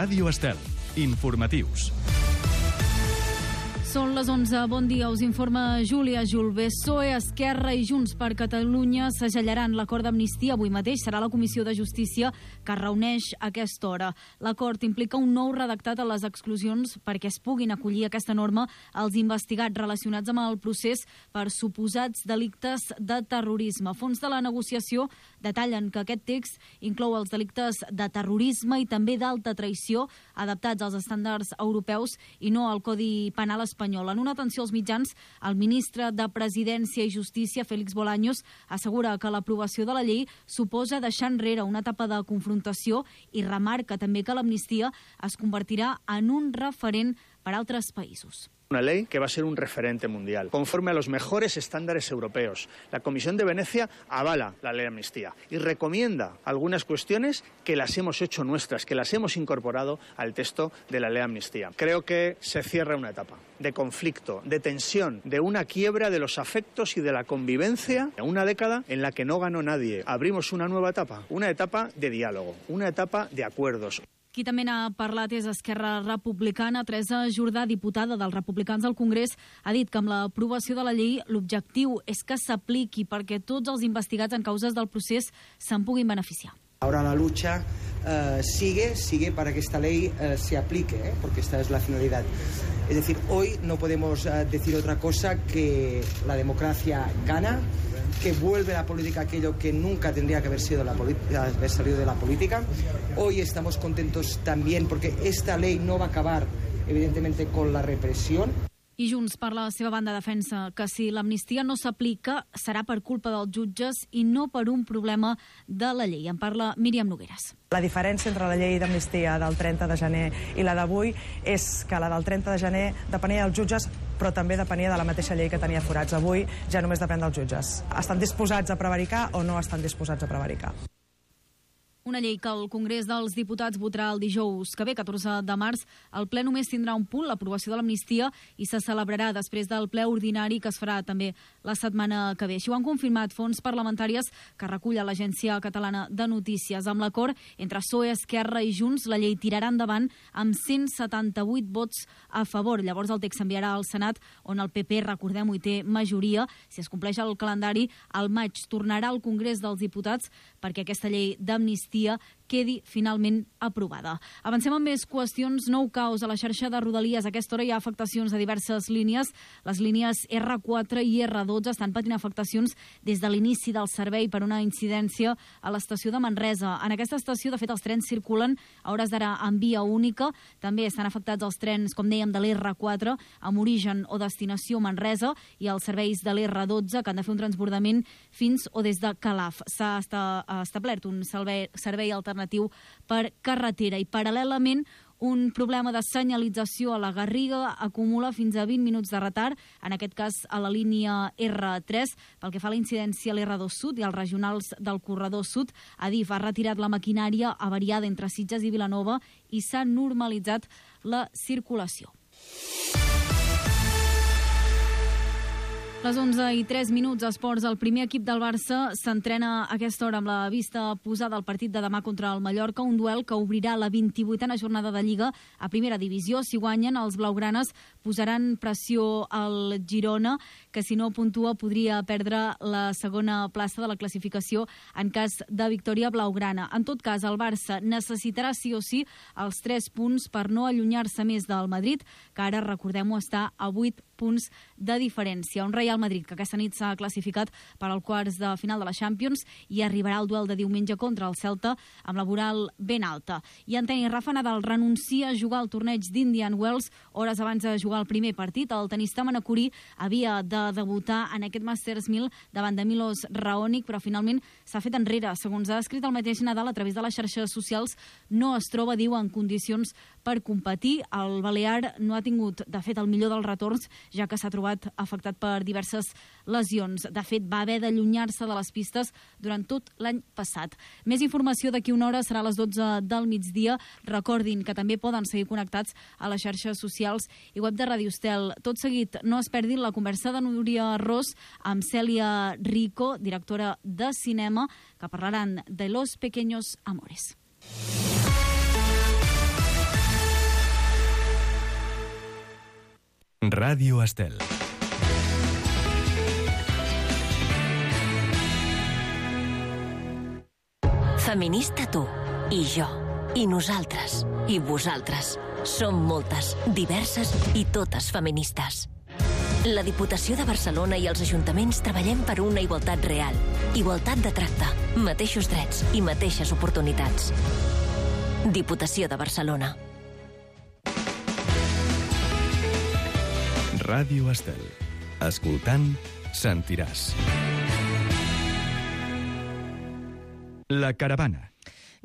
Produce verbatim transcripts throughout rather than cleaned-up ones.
Ràdio Estel. Informatius. Són les onze. Bon dia, us informa Júlia Julve. P S O E, Esquerra i Junts per Catalunya segellaran l'acord d'amnistia. Avui mateix serà la Comissió de Justícia que es reuneix a aquesta hora. L'acord implica un nou redactat a les exclusions perquè es puguin acollir aquesta norma als investigats relacionats amb el procés per suposats delictes de terrorisme. Fons de la negociació detallen que aquest text inclou els delictes de terrorisme i també d'alta traïció adaptats als estàndards europeus i no al Codi Penal espanyol. En una atenció als mitjans, el ministre de Presidència i Justícia, Félix Bolaños, assegura que l'aprovació de la llei suposa deixar enrere una etapa de confrontació i remarca també que l'amnistia es convertirà en un referent per a altres països. Una ley que va a ser un referente mundial, conforme a los mejores estándares europeos. La Comisión de Venecia avala la ley de amnistía y recomienda algunas cuestiones que las hemos hecho nuestras, que las hemos incorporado al texto de la ley de amnistía. Creo que se cierra una etapa de conflicto, de tensión, de una quiebra de los afectos y de la convivencia, una década en la que no ganó nadie. Abrimos una nueva etapa, una etapa de diálogo, una etapa de acuerdos. Qui també n'ha parlat és Esquerra Republicana. Teresa Jordà, diputada dels Republicans al Congrés, ha dit que amb l'aprovació de la llei l'objectiu és que s'apliqui perquè tots els investigats en causes del procés se'n puguin beneficiar. Ahora la lucha uh, sigue, sigue para que esta ley uh, se aplique, ¿eh? Porque esta es la finalidad. Es decir, hoy no podemos uh, decir otra cosa que la democracia gana, que vuelve la política aquello que nunca tendría que haber sido la política, haber salido de la política. Hoy estamos contentos también porque esta ley no va a acabar, evidentemente, con la represión. I Junts, per la seva banda, defensa que si l'amnistia no s'aplica serà per culpa dels jutges i no per un problema de la llei. En parla Míriam Nogueras. La diferència entre la llei d'amnistia del trenta de gener i la d'avui és que la del trenta de gener depenia dels jutges, però també depenia de la mateixa llei que tenia forats. Avui ja només depèn dels jutges. Estan disposats a prevaricar o no estan disposats a prevaricar? Una llei que el Congrés dels Diputats votarà el dijous que ve, catorze de març. El ple només tindrà un punt, l'aprovació de l'amnistia, i se celebrarà després del ple ordinari que es farà també la setmana que ve. Així ho han confirmat fonts parlamentàries que recull a l'Agència Catalana de Notícies. Amb l'acord entre P S O E, Esquerra i Junts, la llei tirarà endavant amb cent setanta-vuit vots a favor. Llavors el text s'enviarà al Senat, on el P P, recordem-ho, hi té majoria. Si es compleix el calendari, al maig tornarà al Congrés dels Diputats perquè aquesta llei d'amnistia quedi finalment aprovada. Avancem amb més qüestions. Nou caos a la xarxa de Rodalies. A aquesta hora hi ha afectacions a diverses línies. Les línies R quatre i R dotze estan patint afectacions des de l'inici del servei per una incidència a l'estació de Manresa. En aquesta estació, de fet, els trens circulen a hores d'ara en via única. També estan afectats els trens, com dèiem, de l'R quatre amb origen o destinació Manresa i els serveis de l'R dotze que han de fer un transbordament fins o des de Calaf. S'ha establert un servei servei alternatiu per carretera i paral·lelament un problema de senyalització a la Garriga acumula fins a vint minuts de retard, en aquest cas a la línia R tres. Pel que fa a la incidència a l'R dos Sud i als regionals del corredor sud, Adif ha retirat la maquinària avariada entre Sitges i Vilanova i s'ha normalitzat la circulació. Les onze i tres minuts, esports. El primer equip del Barça s'entrena a aquesta hora amb la vista posada al partit de demà contra el Mallorca, un duel que obrirà la vint-i-vuitena jornada de Lliga a primera divisió. Si guanyen, els blaugranes posaran pressió al Girona, que si no puntua podria perdre la segona plaça de la classificació en cas de victòria blaugrana. En tot cas, el Barça necessitarà sí o sí els tres punts per no allunyar-se més del Madrid, que ara, recordem-ho, està a vuit punts de diferència. Un Real Madrid que aquesta nit s'ha classificat per als quarts de final de la Champions i arribarà al duel de diumenge contra el Celta amb la moral ben alta. I en tenis, Rafa Nadal renuncia a jugar al torneig d'Indian Wells hores abans de jugar el primer partit. El tenista manacorí havia de debutar en aquest Masters mil davant de Milos Raonic, però finalment s'ha fet enrere. Segons ha escrit el mateix Nadal a través de les xarxes socials, no es troba, diu, en condicions per competir. El balear no ha tingut, de fet, el millor dels retorns, ja que s'ha trobat afectat per diverses lesions. De fet, va haver d'allunyar-se de les pistes durant tot l'any passat. Més informació d'aquí una hora, serà a les dotze del migdia. Recordin que també poden seguir connectats a les xarxes socials i web de Ràdio Estel. Tot seguit, no es perdin la conversa de Núria Ros amb Cèlia Rico, directora de cinema, que parlaran de Los Pequeños Amores. Ràdio Estel. Feminista tu, i jo, i nosaltres, i vosaltres. Som moltes, diverses i totes feministes. La Diputació de Barcelona i els ajuntaments treballem per una igualtat real. Igualtat de tracte, mateixos drets i mateixes oportunitats. Diputació de Barcelona. Ràdio Estel. Escoltant, sentiràs. La caravana.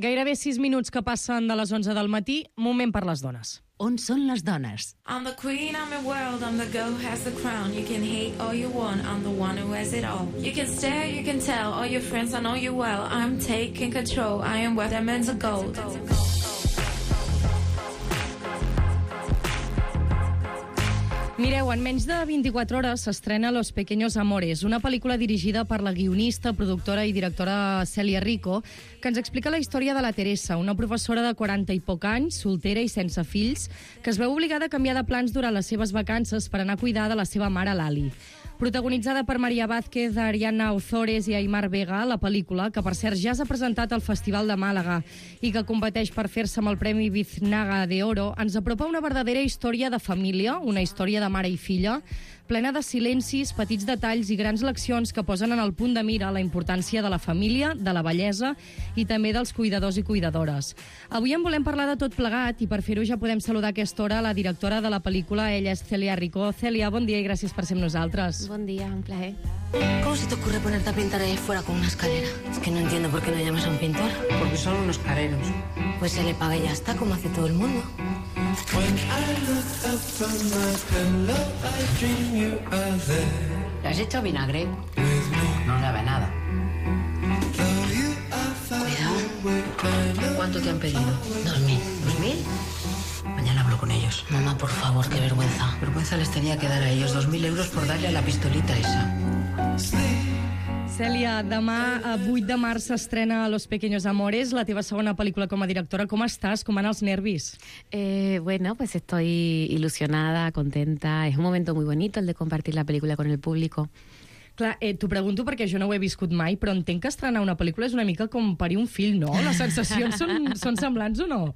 Gairebé sis minuts que passen de les onze del matí, moment per les dones. On són les dones? I'm the queen, I'm the world, I'm the girl who has the crown. You can hate all you want, I'm the one who has it all. You can stare, you can tell, all your friends, I know you well. I'm taking control, I am worth diamonds of gold. Mireu, en menys de vint-i-quatre hores s'estrena Los Pequeños Amores, una pel·lícula dirigida per la guionista, productora i directora Celia Rico, que ens explica la història de la Teresa, una professora de quaranta i poc anys, soltera i sense fills, que es veu obligada a canviar de plans durant les seves vacances per anar a cuidar de la seva mare, Lali. Protagonitzada per Maria Vázquez, Ariana Ozores i Aimar Vega, la pel·lícula, que per cert ja s'ha presentat al Festival de Màlaga i que competeix per fer-se amb el Premi Biznaga de Oro, ens apropa una verdadera història de família, una història de mare i filla, plena de silencis, petits detalls i grans leccions que posen en el punt de mira la importància de la família, de la bellesa i també dels cuidadors i cuidadores. Avui en volem parlar de tot plegat i per fer-ho ja podem saludar a aquesta hora la directora de la pel·lícula, ella és Celia Rico. Celia, bon dia i gràcies per ser amb nosaltres. Buen día, un placer. ¿Cómo se te ocurre ponerte a pintar ahí fuera con una escalera? Es que no entiendo por qué no llamas a un pintor. Porque son unos careros. Pues se le paga y ya está, como hace todo el mundo. ¿Le has hecho vinagre? No sabe nada. Cuidado. ¿Cuánto te han pedido? Dos mil. ¿Dos mil? Mañana hablo con ellos. Mamá, por favor, qué vergüenza. Vergüenza les tenía que dar a ellos dos mil euros por darle a la pistolita esa. Cèlia, demà, a vuit de març, s'estrena Los Pequeños Amores, la teva segona pel·lícula com a directora. Com estàs? Com van els nervis? Eh, bueno, pues estoy ilusionada, contenta. Es un momento muy bonito el de compartir la película con el público. Clar, eh, t'ho pregunto perquè jo no ho he viscut mai, però entenc que estrenar una pel·lícula és una mica com parir un fill, ¿no? Les sensacions són, són semblants o no?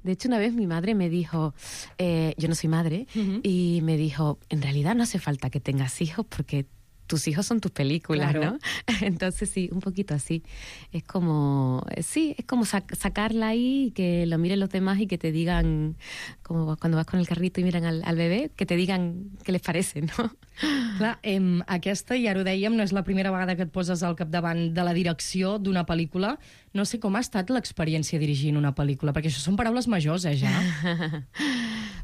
De hecho, una vez mi madre me dijo, eh, yo no soy madre, uh-huh. y me dijo, en realidad no hace falta que tengas hijos porque tus hijos son tus películas, claro. ¿no? Entonces sí, un poquito así. Es como, sí, es como sac- sacarla ahí y que lo miren los demás y que te digan, como cuando vas con el carrito y miran al, al bebé, que te digan qué les parece, ¿no? Clar, eh, aquesta, i ara ho dèiem, no és la primera vegada que et poses al capdavant de la direcció d'una pel·lícula. No sé com ha estat l'experiència dirigint una pel·lícula, perquè això són paraules majors, eh, ja?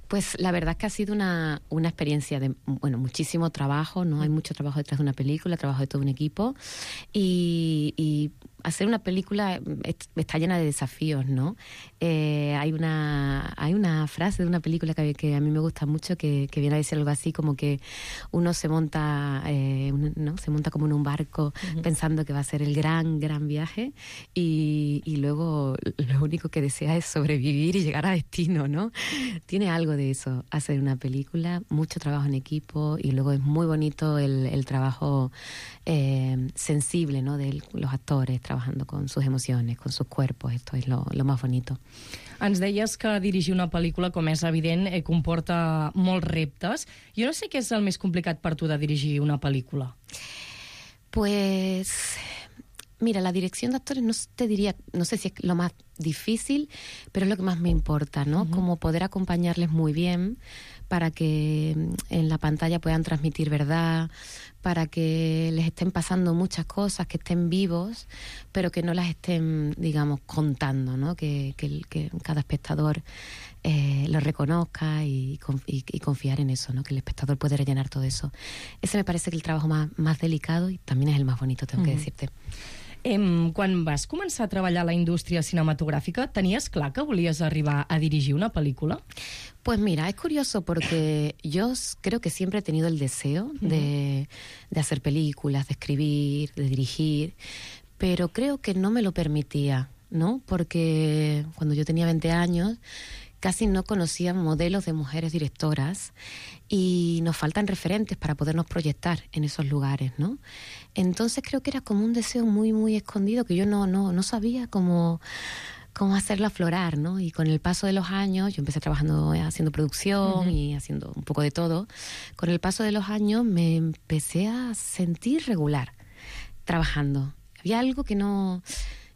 Pues la verdad es que ha sido una, una experiencia de, bueno, muchísimo trabajo, ¿no? Hay mucho trabajo detrás de una película, trabajo de todo un equipo, y, y hacer una película está llena de desafíos, ¿no? Eh, hay una hay una frase de una película que, que a mí me gusta mucho que, que viene a decir algo así como que uno se monta, eh, un, ¿no? Se monta como en un barco uh-huh. pensando que va a ser el gran, gran viaje y, y luego lo único que desea es sobrevivir y llegar a destino, ¿no? Tiene algo de eso, hacer una película, mucho trabajo en equipo y luego es muy bonito el, el trabajo eh, sensible, ¿no? De los actores trabajando con sus emociones, con sus cuerpos. Esto es lo, lo más bonito. Ens deies que dirigir una pel·lícula, com és evident, eh, comporta molts reptes. Jo no sé què és el més complicat per tu de dirigir una pel·lícula. Pues mira, la dirección de actores no te diría, no sé si es lo más difícil, pero es lo que más me importa, ¿no? Uh-huh. Como poder acompañarles muy bien para que en la pantalla puedan transmitir verdad, para que les estén pasando muchas cosas, que estén vivos, pero que no las estén, digamos, contando, ¿no? Que, que, que cada espectador eh, lo reconozca y, y, y confiar en eso, ¿no? Que el espectador puede rellenar todo eso. Ese me parece que el trabajo más, más delicado y también es el más bonito, tengo uh-huh. que decirte. Em, quan vas començar a treballar a la indústria cinematogràfica, tenies clar que volies arribar a dirigir una pel·lícula? Pues mira, es curioso porque yo creo que siempre he tenido el deseo uh-huh. de, de hacer películas, de escribir, de dirigir, pero creo que no me lo permitía, ¿no? Porque cuando yo tenía veinte años casi no conocía modelos de mujeres directoras y nos faltan referentes para podernos proyectar en esos lugares, ¿no? Entonces creo que era como un deseo muy, muy escondido que yo no, no, no sabía cómo... cómo hacerlo aflorar, ¿no? Y con el paso de los años, yo empecé trabajando haciendo producción uh-huh. y haciendo un poco de todo. Con el paso de los años me empecé a sentir regular trabajando. Había algo que no...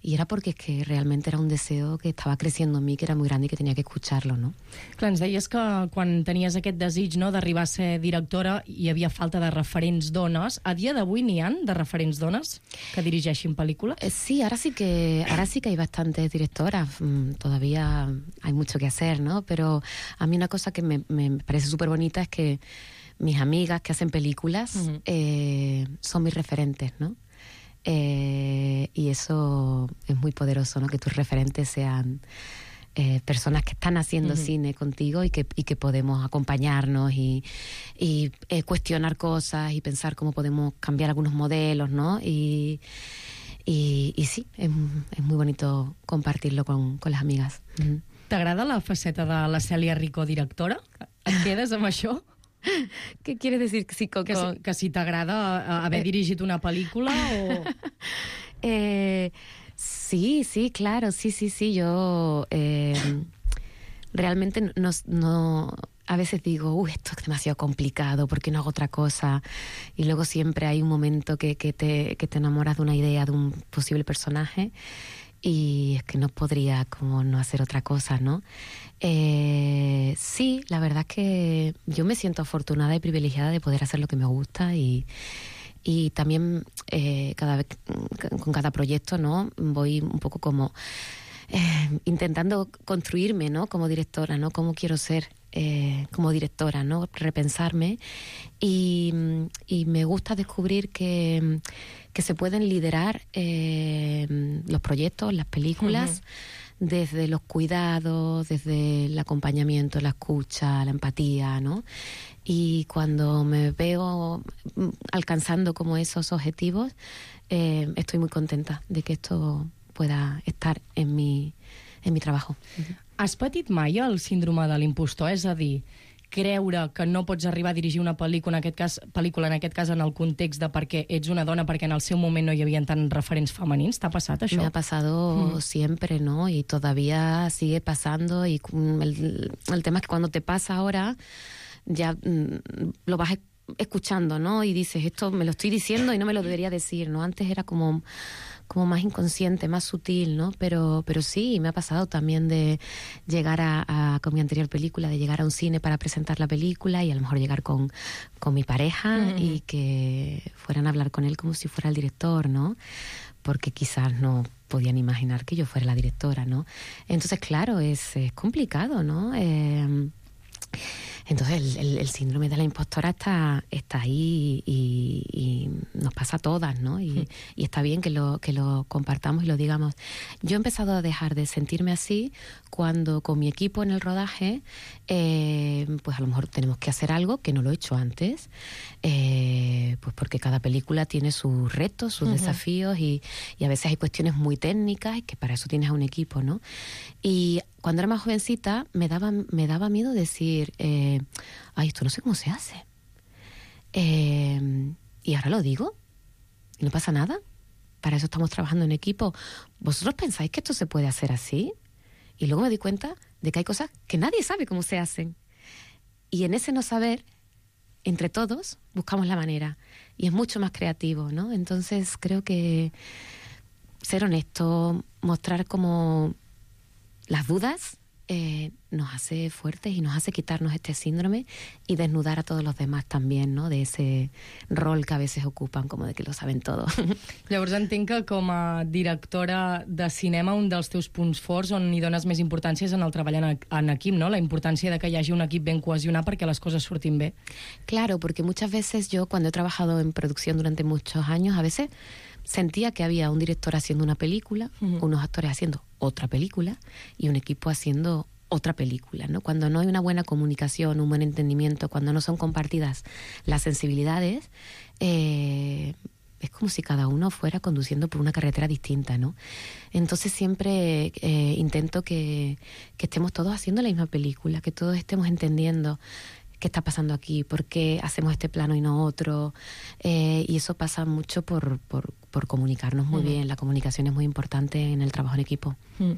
I era perquè és que realment era un deseo que estava creciendo en mi, que era muy grande i que tenia que escucharlo, no? Clar, ens deies que quan tenies aquest desig, no, d'arribar a ser directora hi havia falta de referents dones. A dia d'avui n'hi ha de referents dones que dirigeixin pel·lícules? Eh, sí, ahora sí que ahora sí que hay bastantes directoras. Mm, todavía hay mucho que hacer, ¿no? Pero a mí una cosa que me, me parece súper bonita es que mis amigas que hacen películas uh-huh. eh, son mis referentes, ¿no? Eh, y eso es muy poderoso, ¿no? Que tus referentes sean eh, personas que están haciendo uh-huh. cine contigo y que, y que podemos acompañarnos y, y eh, cuestionar cosas y pensar cómo podemos cambiar algunos modelos, ¿no? Y, y, y sí, es, es muy bonito compartirlo con, con las amigas. Uh-huh. T'agrada la faceta de la Cèlia Rico directora? Et quedes amb això? ¿Qué quiere decir? Sí, con, que, si, que si t'agrada haber eh, dirigit una pel·lícula o... eh, sí, sí, claro, sí, sí, sí, yo eh, realmente no, no... A veces digo, uy, esto es demasiado complicado, ¿por qué no hago otra cosa? Y luego siempre hay un momento que, que, te, que te enamoras de una idea, de un posible personaje, y es que no podría como no hacer otra cosa, ¿no? Eh, sí, la verdad es que yo me siento afortunada y privilegiada de poder hacer lo que me gusta y, y también eh, cada vez con cada proyecto, ¿no? Voy un poco como eh, intentando construirme, ¿no? Como directora, ¿no? Cómo quiero ser eh, como directora, ¿no? Repensarme y, y me gusta descubrir que, que se pueden liderar eh, los proyectos, las películas, uh-huh. desde los cuidados, desde el acompañamiento, la escucha, la empatía, ¿no? Y cuando me veo alcanzando como esos objetivos, eh, estoy muy contenta de que esto pueda estar en mi, en mi trabajo. Has patit mai el síndrome de l'impostor? És a dir, creure que no pots arribar a dirigir una pel·lícula, en aquest cas, pel·lícula, en aquest cas en el context de perquè ets una dona, perquè en el seu moment no hi havia tant referents femenins. ¿T'ha pasado això? Me ha pasado mm. siempre, ¿no? Y todavía sigue pasando. Y el, el tema es que cuando te pasa ahora, ya mm, lo vas escuchando, ¿no? Y dices, esto me lo estoy diciendo y no me lo debería decir, ¿no? Antes era como... como más inconsciente, más sutil, ¿no? Pero, pero sí, me ha pasado también de llegar a, a, con mi anterior película, de llegar a un cine para presentar la película y a lo mejor llegar con, con mi pareja mm-hmm. y que fueran a hablar con él como si fuera el director, ¿no? Porque quizás no podían imaginar que yo fuera la directora, ¿no? Entonces, claro, es, es complicado, ¿no? Eh, Entonces el, el, el síndrome de la impostora está, está ahí y, y nos pasa a todas, ¿no? Y, sí. y está bien que lo, que lo compartamos y lo digamos. Yo he empezado a dejar de sentirme así cuando con mi equipo en el rodaje, eh, pues a lo mejor tenemos que hacer algo que no lo he hecho antes, eh, pues porque cada película tiene sus retos, sus uh-huh. desafíos y, y a veces hay cuestiones muy técnicas y que para eso tienes a un equipo, ¿no? Y cuando era más jovencita me daba, me daba miedo decir, eh, ay, esto no sé cómo se hace. Eh, y ahora lo digo, y no pasa nada. Para eso estamos trabajando en equipo. ¿Vosotros pensáis que esto se puede hacer así? Y luego me di cuenta de que hay cosas que nadie sabe cómo se hacen. Y en ese no saber, entre todos, buscamos la manera. Y es mucho más creativo, ¿no? Entonces creo que ser honesto, mostrar como... las dudas eh, nos hace fuertes y nos hace quitarnos este síndrome y desnudar a todos los demás también, ¿no? De ese rol que a veces ocupan, como de que lo saben todo. Llavors entenc que com a directora de cinema un dels teus punts forts on hi dones més importància és en el treball en, en equip, ¿no? La importància de que hi hagi un equip ben cohesionat perquè les coses surtin bé. Claro, porque muchas veces yo cuando he trabajado en producción durante muchos años, a veces sentía que había un director haciendo una película, uh-huh. unos actores haciendo otra película y un equipo haciendo otra película, ¿no? Cuando no hay una buena comunicación, un buen entendimiento, cuando no son compartidas las sensibilidades, eh, es como si cada uno fuera conduciendo por una carretera distinta, ¿no? Entonces siempre eh, intento que, que estemos todos haciendo la misma película, que todos estemos entendiendo qué está pasando aquí, por qué hacemos este plano y no otro, eh, y eso pasa mucho por, por, por comunicarnos muy mm. bien. La comunicación es muy importante en el trabajo en equipo. Mm.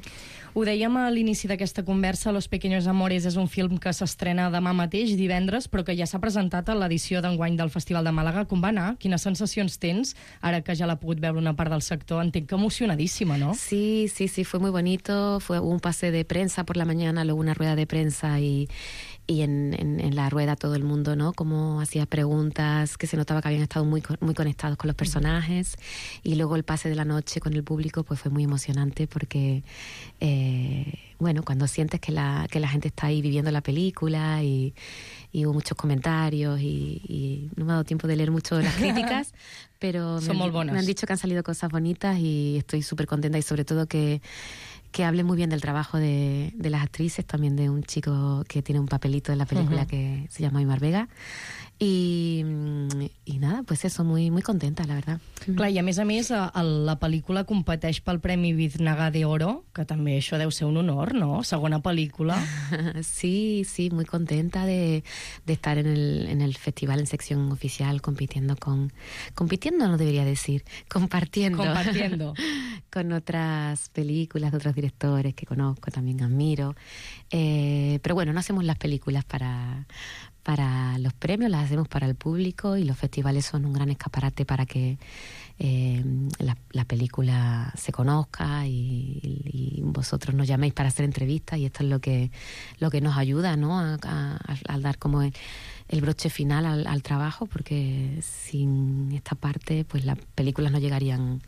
Ho dèiem a l'inici d'aquesta conversa, Los Pequeños Amores és un film que s'estrena demà mateix, divendres, però que ja s'ha presentat a l'edició d'enguany del Festival de Màlaga. Com va anar? Quines sensacions tens, ara que ja l'ha pogut veure una part del sector? Entenc que emocionadísima, ¿no? Sí, sí, sí, fue muy bonito. Fue un pase de prensa por la mañana, luego una rueda de prensa y... y en, en, en la rueda todo el mundo, ¿no? Como hacía preguntas, que se notaba que habían estado muy, muy conectados con los personajes, y luego el pase de la noche con el público pues fue muy emocionante porque, eh, bueno, cuando sientes que la, que la gente está ahí viviendo la película y, y hubo muchos comentarios y, y no me ha dado tiempo de leer mucho las críticas, pero me han, me han dicho que han salido cosas bonitas y estoy súper contenta, y sobre todo que que hable muy bien del trabajo de, de las actrices, también de un chico que tiene un papelito en la película uh-huh. que se llama Aimar Vega. I, i nada, pues eso, muy, muy contenta, la verdad. Clar, i a més a més, a, a la pel·lícula competeix pel Premi Biznaga de Oro, que també això deu ser un honor, ¿no? Segona pel·lícula. Sí, sí, muy contenta de, de estar en el, en el festival en sección oficial compitiendo con... Compitiendo no debería decir, compartiendo. Compartiendo. Con otras películas de otros directores que conozco, también admiro. Eh, pero bueno, no hacemos las películas para... para los premios, las hacemos para el público, y los festivales son un gran escaparate para que eh, la, la película se conozca y, y vosotros nos llaméis para hacer entrevistas, y esto es lo que, lo que nos ayuda, ¿no? a, a, a dar como el, el broche final al, al trabajo, porque sin esta parte pues las películas no llegarían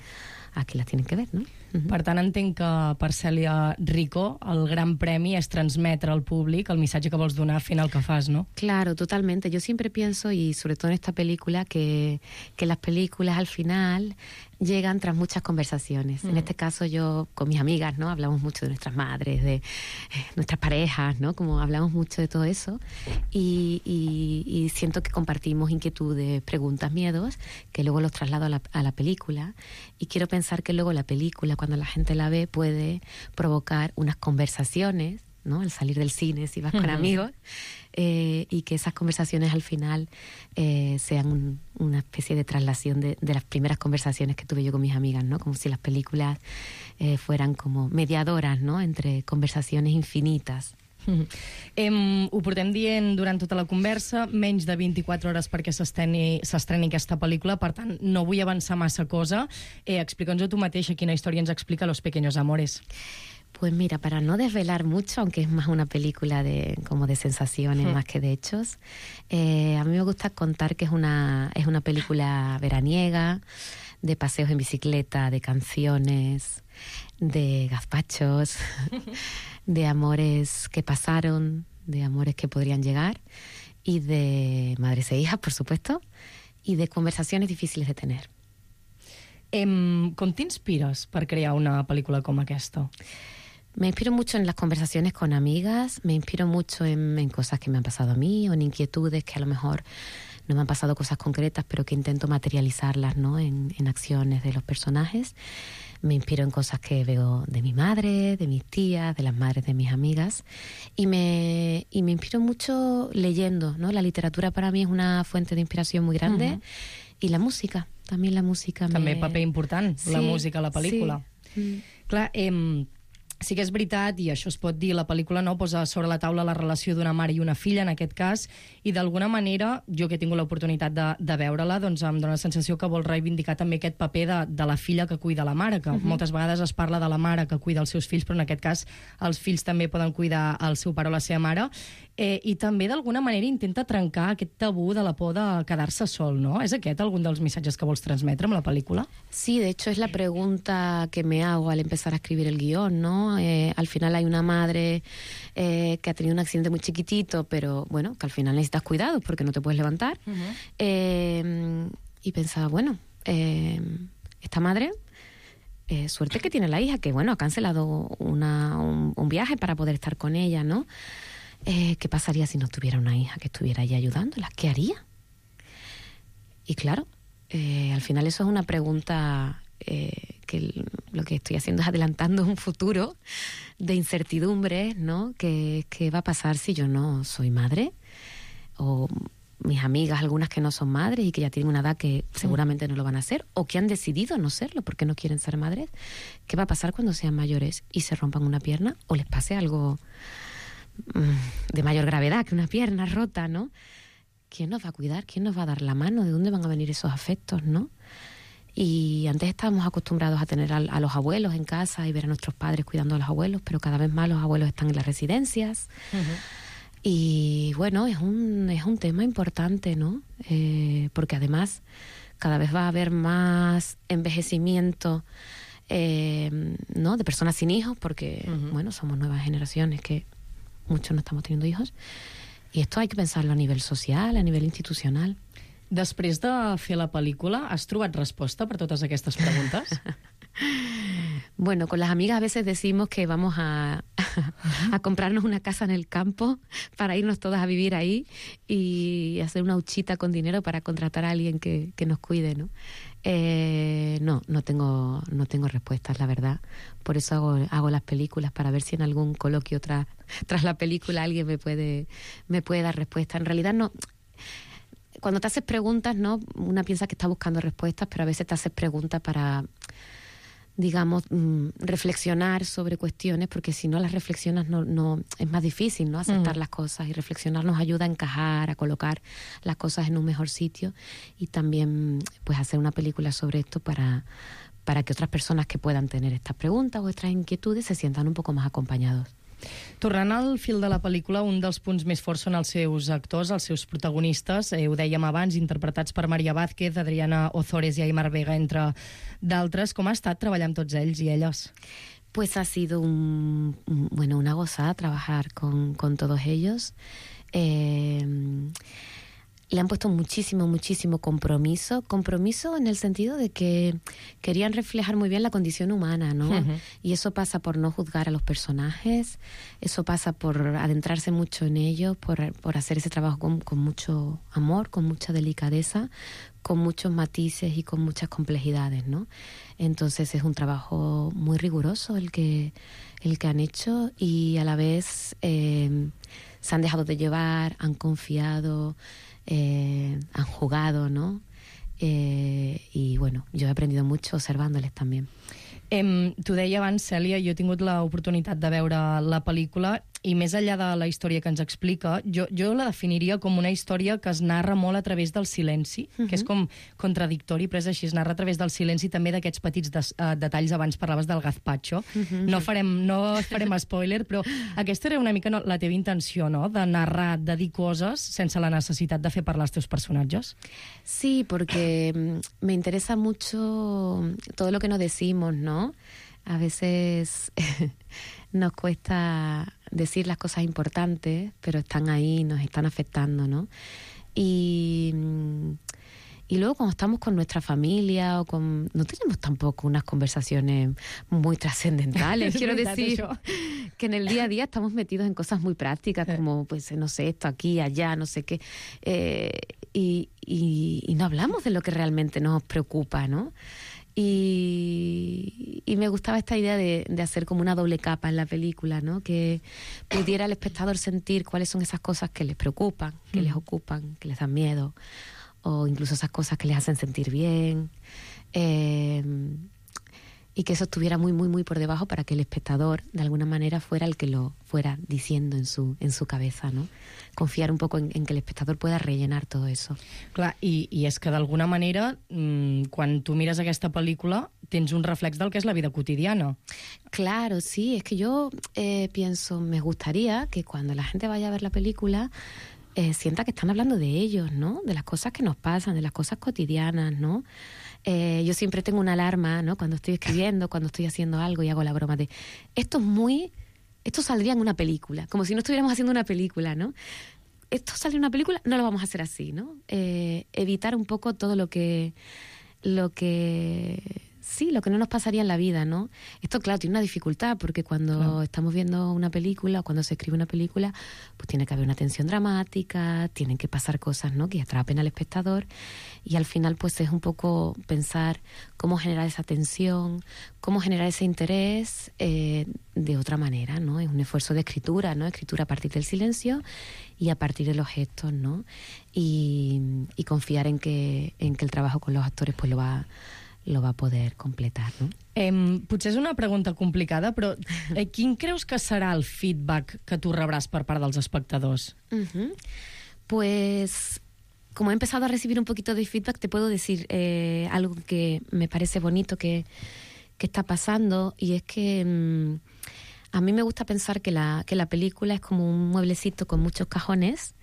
a qui les tienen que ver, ¿no? Uh-huh. Per tant, entenc que per Cèlia Rico el gran premi és transmetre al públic el missatge que vols donar fent el que fas, ¿no? Claro, totalmente. Yo siempre pienso, y sobre todo en esta película, que, que las películas al final llegan tras muchas conversaciones. Mm. En este caso yo con mis amigas, ¿no? Hablamos mucho de nuestras madres, de eh, nuestras parejas, ¿no? Como hablamos mucho de todo eso, y, y, y siento que compartimos inquietudes, preguntas, miedos, que luego los traslado a la, a la película, y quiero pensar que luego la película, cuando la gente la ve, puede provocar unas conversaciones, ¿no? Al salir del cine, si vas con uh-huh. amigos, eh, y que esas conversaciones al final eh, sean un, una especie de traslación de, de las primeras conversaciones que tuve yo con mis amigas, ¿no? Como si las películas eh, fueran como mediadoras, ¿no? Entre conversaciones infinitas. Mm. Em, ho portem dient durant tota la conversa, menys de vint-i-quatre hores perquè s'estreni aquesta pel·lícula, per tant no vull avançar massa cosa. eh, Explica'ns-ho tu mateixa, quina història ens explica Los Pequeños Amores. Pues mira, para no desvelar mucho, aunque es más una película de como de sensaciones mm. más que de hechos, eh, a mí me gusta contar que es una, es una película veraniega, de paseos en bicicleta, de canciones, de gazpachos, de amores que pasaron, de amores que podrían llegar, y de madres e hijas, por supuesto, y de conversaciones difíciles de tener. Em, com t'inspires per crear una pel·lícula com aquesta? Me inspiro mucho en las conversaciones con amigas, me inspiro mucho en, en cosas que me han pasado a mí, o en inquietudes que a lo mejor no me han pasado cosas concretas, pero que intento materializarlas, ¿no? en, en acciones de los personajes. Me inspiro en cosas que veo de mi madre, de mis tías, de las madres de mis amigas, y me, y me inspiro mucho leyendo, ¿no? La literatura para mí es una fuente de inspiración muy grande, uh-huh. y la música, también la música. També me... paper important, sí, la música a la pel·lícula. Sí. Mm. Clar, eh, sí que és veritat, i això es pot dir, la pel·lícula no posa sobre la taula la relació d'una mare i una filla, en aquest cas, i d'alguna manera, jo que he tingut l'oportunitat de, de veure-la, doncs em dóna la sensació que vol reivindicar també aquest paper de, de la filla que cuida la mare, que uh-huh. moltes vegades es parla de la mare que cuida els seus fills, però en aquest cas els fills també poden cuidar el seu pare o la seva mare, eh, i també d'alguna manera intenta trencar aquest tabú de la por de quedar-se sol, no? És aquest algun dels missatges que vols transmetre amb la pel·lícula? Sí, de hecho es la pregunta que me hago al empezar a escribir el guión, ¿no? Eh, al final hay una madre eh, que ha tenido un accidente muy chiquitito, pero bueno, que al final necesitas cuidados porque no te puedes levantar. Uh-huh. eh, y pensaba, bueno, eh, esta madre, eh, suerte que tiene la hija, que bueno, ha cancelado una, un, un viaje para poder estar con ella, ¿no? Eh, ¿Qué pasaría si no tuviera una hija que estuviera allí ayudándola? ¿Qué haría? Y claro, Eh, al final eso es una pregunta eh, que lo que estoy haciendo es adelantando un futuro de incertidumbre, ¿no? ¿Qué, qué va a pasar si yo no soy madre? O mis amigas, algunas que no son madres y que ya tienen una edad que seguramente no lo van a ser, o que han decidido no serlo porque no quieren ser madres. ¿Qué va a pasar cuando sean mayores y se rompan una pierna o les pase algo mmm, de mayor gravedad que una pierna rota, ¿no? ¿Quién nos va a cuidar? ¿Quién nos va a dar la mano? ¿De dónde van a venir esos afectos, no? Y antes estábamos acostumbrados a tener a, a los abuelos en casa y ver a nuestros padres cuidando a los abuelos, pero cada vez más los abuelos están en las residencias. Uh-huh. Y bueno, es un, es un tema importante, ¿no? Eh, porque además cada vez va a haber más envejecimiento, eh, ¿no? De personas sin hijos, porque, uh-huh. bueno, somos nuevas generaciones que muchos no estamos teniendo hijos. I esto hay que pensarlo a nivell social, a nivell institucional. Després de fer la pel·lícula, has trobat resposta per totes aquestes preguntes? Bueno, con las amigas a veces decimos que vamos a, a comprarnos una casa en el campo para irnos todas a vivir ahí y hacer una huchita con dinero para contratar a alguien que, que nos cuide, ¿no? Eh, no, no tengo, no tengo respuestas, la verdad. Por eso hago, hago las películas, para ver si en algún coloquio tras, tras la película alguien me puede, me puede dar respuesta. En realidad no... Cuando te haces preguntas, ¿no? Una piensa que está buscando respuestas, pero a veces te haces preguntas para, digamos, mmm, reflexionar sobre cuestiones, porque si no las reflexionas no, no es más difícil, ¿no? Aceptar mm. las cosas, y reflexionar nos ayuda a encajar, a colocar las cosas en un mejor sitio, y también pues hacer una película sobre esto para, para que otras personas que puedan tener estas preguntas o estas inquietudes se sientan un poco más acompañados. Tornant al fil de la pel·lícula, un dels punts més forts són els seus actors, els seus protagonistes, eh, ho dèiem abans, interpretats per Maria Vázquez, Adriana Ozores i Aimar Vega, entre d'altres. Com ha estat treballar amb tots ells i elles? Pues ha sido un, bueno, una gozada trabajar con, con todos ellos. Eh, le han puesto muchísimo, muchísimo compromiso. Compromiso en el sentido de que querían reflejar muy bien la condición humana, ¿no? Uh-huh. Y eso pasa por no juzgar a los personajes, eso pasa por adentrarse mucho en ellos, por, por hacer ese trabajo con, con mucho amor, con mucha delicadeza, con muchos matices y con muchas complejidades, ¿no? Entonces es un trabajo muy riguroso el que, el que han hecho, y a la vez eh, se han dejado de llevar, han confiado, Eh, han jugado, ¿no? Eh, y bueno, yo he aprendido mucho observándoles también. Eh, T'ho deia abans, Cèlia, jo he tingut l'oportunitat de veure la pel·lícula, i més enllà de la història que ens explica, jo, jo la definiria com una història que es narra molt a través del silenci, uh-huh. que és com contradictori, però és així, es narra a través del silenci, també d'aquests petits des, uh, detalls. Abans parlaves del gazpacho. Uh-huh. No farem, no farem spoiler, però aquesta era una mica no, la teva intenció, no?, de narrar, de dir coses sense la necessitat de fer parlar els teus personatges. Sí, porque me interesa mucho todo lo que nos decimos, ¿no? A veces nos cuesta decir las cosas importantes, pero están ahí, nos están afectando, ¿no? Y, y luego cuando estamos con nuestra familia o con... No tenemos tampoco unas conversaciones muy trascendentales. Quiero decir que en el día a día estamos metidos en cosas muy prácticas, como, pues, no sé, esto aquí, allá, no sé qué. Eh, y, y, y no hablamos de lo que realmente nos preocupa, ¿no? Y, y me gustaba esta idea de, de hacer como una doble capa en la película, ¿no? Que pudiera el espectador sentir cuáles son esas cosas que les preocupan, que mm. les ocupan, que les dan miedo, o incluso esas cosas que les hacen sentir bien, eh, y que eso estuviera muy, muy, muy por debajo para que el espectador, de alguna manera, fuera el que lo fuera diciendo en su, en su cabeza, ¿no? Confiar un poco en, en que el espectador pueda rellenar todo eso. Clar, i, i és que d'alguna manera, mmm, quan tu mires aquesta pel·lícula, tens un reflex del que és la vida quotidiana. Claro, sí, es que yo eh, pienso, me gustaría que cuando la gente vaya a ver la película eh, sienta que están hablando de ellos, ¿no? De las cosas que nos pasan, de las cosas cotidianas, ¿no? Eh, yo siempre tengo una alarma, ¿no? Cuando estoy escribiendo, cuando estoy haciendo algo, y hago la broma de esto es muy... Esto saldría en una película, como si no estuviéramos haciendo una película, ¿no? Esto sale en una película, no lo vamos a hacer así, ¿no? Eh, evitar un poco todo lo que, lo que sí, lo que no nos pasaría en la vida, ¿no? Esto, claro, tiene una dificultad, porque cuando claro. estamos viendo una película o cuando se escribe una película, pues tiene que haber una tensión dramática, tienen que pasar cosas, ¿no?, que atrapen al espectador, y al final pues es un poco pensar cómo generar esa tensión, cómo generar ese interés eh, de otra manera, ¿no? Es un esfuerzo de escritura, ¿no? Escritura a partir del silencio y a partir de los gestos, ¿no? Y, y confiar en que, en que el trabajo con los actores pues lo va lo va a poder completar, no? Eh, potser és una pregunta complicada, però eh, quin creus que serà el feedback que tu rebràs per part dels espectadors? Uh-huh. Pues, como he empezado a recibir un poquito de feedback, te puedo decir eh, algo que me parece bonito que, que está pasando, y es que mmm, a mí me gusta pensar que la, que la película es como un mueblecito con muchos cajones,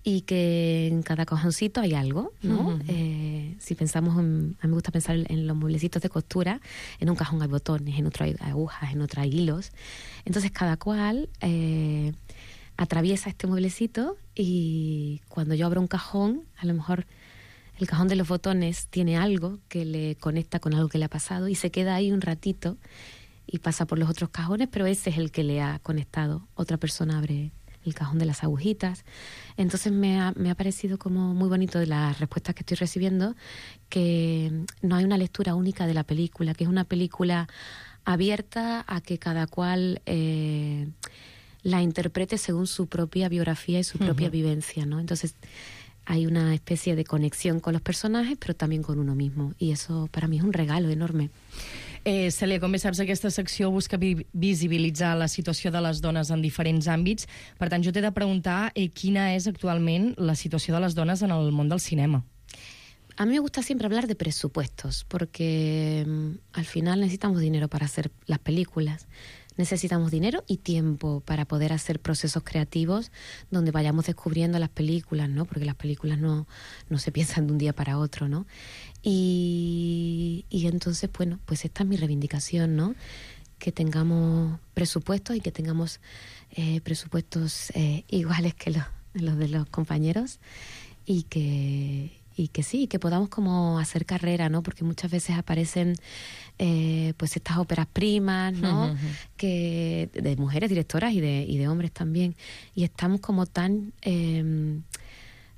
y que en cada cajoncito hay algo, ¿no? Uh-huh. Eh, si pensamos, en, a mí me gusta pensar en los mueblecitos de costura, en un cajón hay botones, en otro hay agujas, en otro hay hilos. Entonces cada cual eh, atraviesa este mueblecito, y cuando yo abro un cajón, a lo mejor el cajón de los botones tiene algo que le conecta con algo que le ha pasado, y se queda ahí un ratito y pasa por los otros cajones, pero ese es el que le ha conectado. Otra persona abre el cajón de las agujitas. Entonces me ha, me ha parecido como muy bonito de las respuestas que estoy recibiendo, que no hay una lectura única de la película, que es una película abierta a que cada cual eh, la interprete según su propia biografía y su propia uh-huh. vivencia, ¿no? Entonces hay una especie de conexión con los personajes, però també con uno mismo, i eso para mí es un regalo enorme. Eh, Cèlia, com bé saps, aquesta secció busca vi visibilitzar la situació de les dones en diferents àmbits. Per tant, jo t'he de preguntar eh, quina és actualment la situació de les dones en el món del cinema. A mí me gusta siempre hablar de presupuestos, porque um, al final necesitamos dinero para hacer las películas. Necesitamos dinero y tiempo para poder hacer procesos creativos donde vayamos descubriendo las películas, ¿no? Porque las películas no, no se piensan de un día para otro, ¿no? Y, y entonces, bueno, pues esta es mi reivindicación, ¿no? Que tengamos presupuestos y que tengamos eh, presupuestos eh, iguales que los, los de los compañeros, y que... y que sí, que podamos como hacer carrera, ¿no? Porque muchas veces aparecen eh, pues estas óperas primas, ¿no? Uh-huh. Que de mujeres directoras y de, y de hombres también, y estamos como tan eh,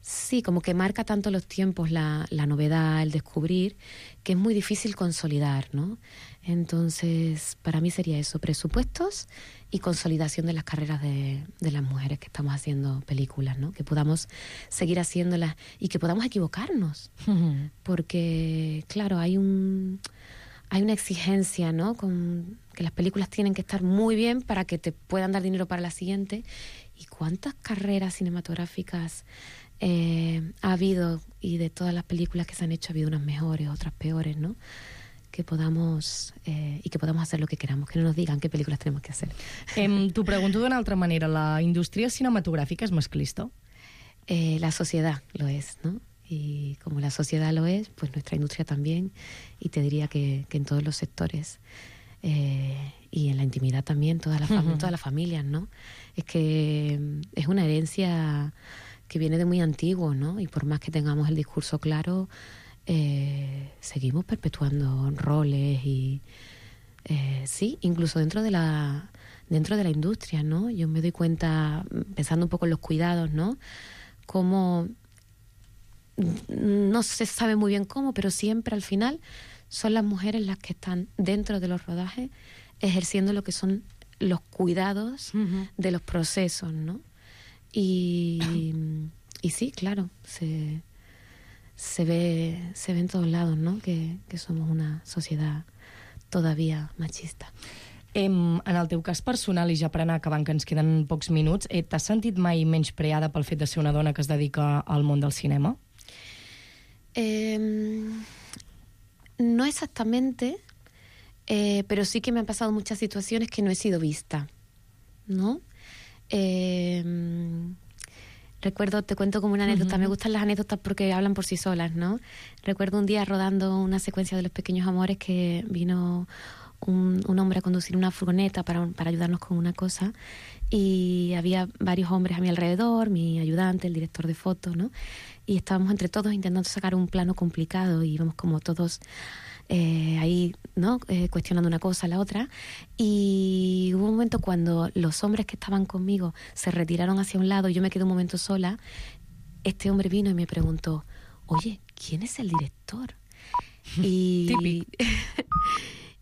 sí, como que marca tanto los tiempos la, la novedad, el descubrir, que es muy difícil consolidar, ¿no? Entonces, para mí sería eso, presupuestos y consolidación de las carreras de, de las mujeres que estamos haciendo películas, ¿no? Que podamos seguir haciéndolas y que podamos equivocarnos. Uh-huh. Porque, claro, hay un hay una exigencia, ¿no? Con que las películas tienen que estar muy bien para que te puedan dar dinero para la siguiente. ¿Y cuántas carreras cinematográficas eh, ha habido? Y de todas las películas que se han hecho ha habido unas mejores, otras peores, ¿no? Que podamos eh, y que podamos hacer lo que queramos, que no nos digan qué películas tenemos que hacer. Eh, T'ho pregunto d'una altra manera, ¿la indústria cinematográfica es masclista? Eh, la sociedad lo es, ¿no? Y como la sociedad lo es, pues nuestra industria también, y te diría que, que en todos los sectores eh, y en la intimidad también, todas las, fam- uh-huh. todas las familias, ¿no? Es que es una herencia que viene de muy antiguo, ¿no? Y por más que tengamos el discurso claro, Eh, seguimos perpetuando roles y eh, sí, incluso dentro de la dentro de la industria, ¿no? Yo me doy cuenta, pensando un poco en los cuidados, ¿no? Como no se sabe muy bien cómo, pero siempre al final son las mujeres las que están dentro de los rodajes ejerciendo lo que son los cuidados uh-huh. de los procesos, ¿no? Y, y sí, claro, se se ve, se ve en todos lados, ¿no? Que, que somos una sociedad todavía machista. Eh, en el teu cas personal, i ja per anar acabant, que ens queden pocs minuts, eh, t'has sentit mai menyspreada pel fet de ser una dona que es dedica al món del cinema? Eh, no exactamente, eh, pero sí que me han pasado muchas situaciones que no he sido vista, ¿no? Eh... Recuerdo, te cuento como una anécdota, uh-huh. me gustan las anécdotas porque hablan por sí solas, ¿no? Recuerdo un día rodando una secuencia de Los Pequeños Amores que vino un, un hombre a conducir una furgoneta para, para ayudarnos con una cosa, y había varios hombres a mi alrededor, mi ayudante, el director de fotos, ¿no? Y estábamos entre todos intentando sacar un plano complicado y íbamos como todos eh, ahí, ¿no? Eh, cuestionando una cosa a la otra. Y hubo un momento cuando los hombres que estaban conmigo se retiraron hacia un lado y yo me quedé un momento sola. Este hombre vino y me preguntó, oye, ¿quién es el director? Y,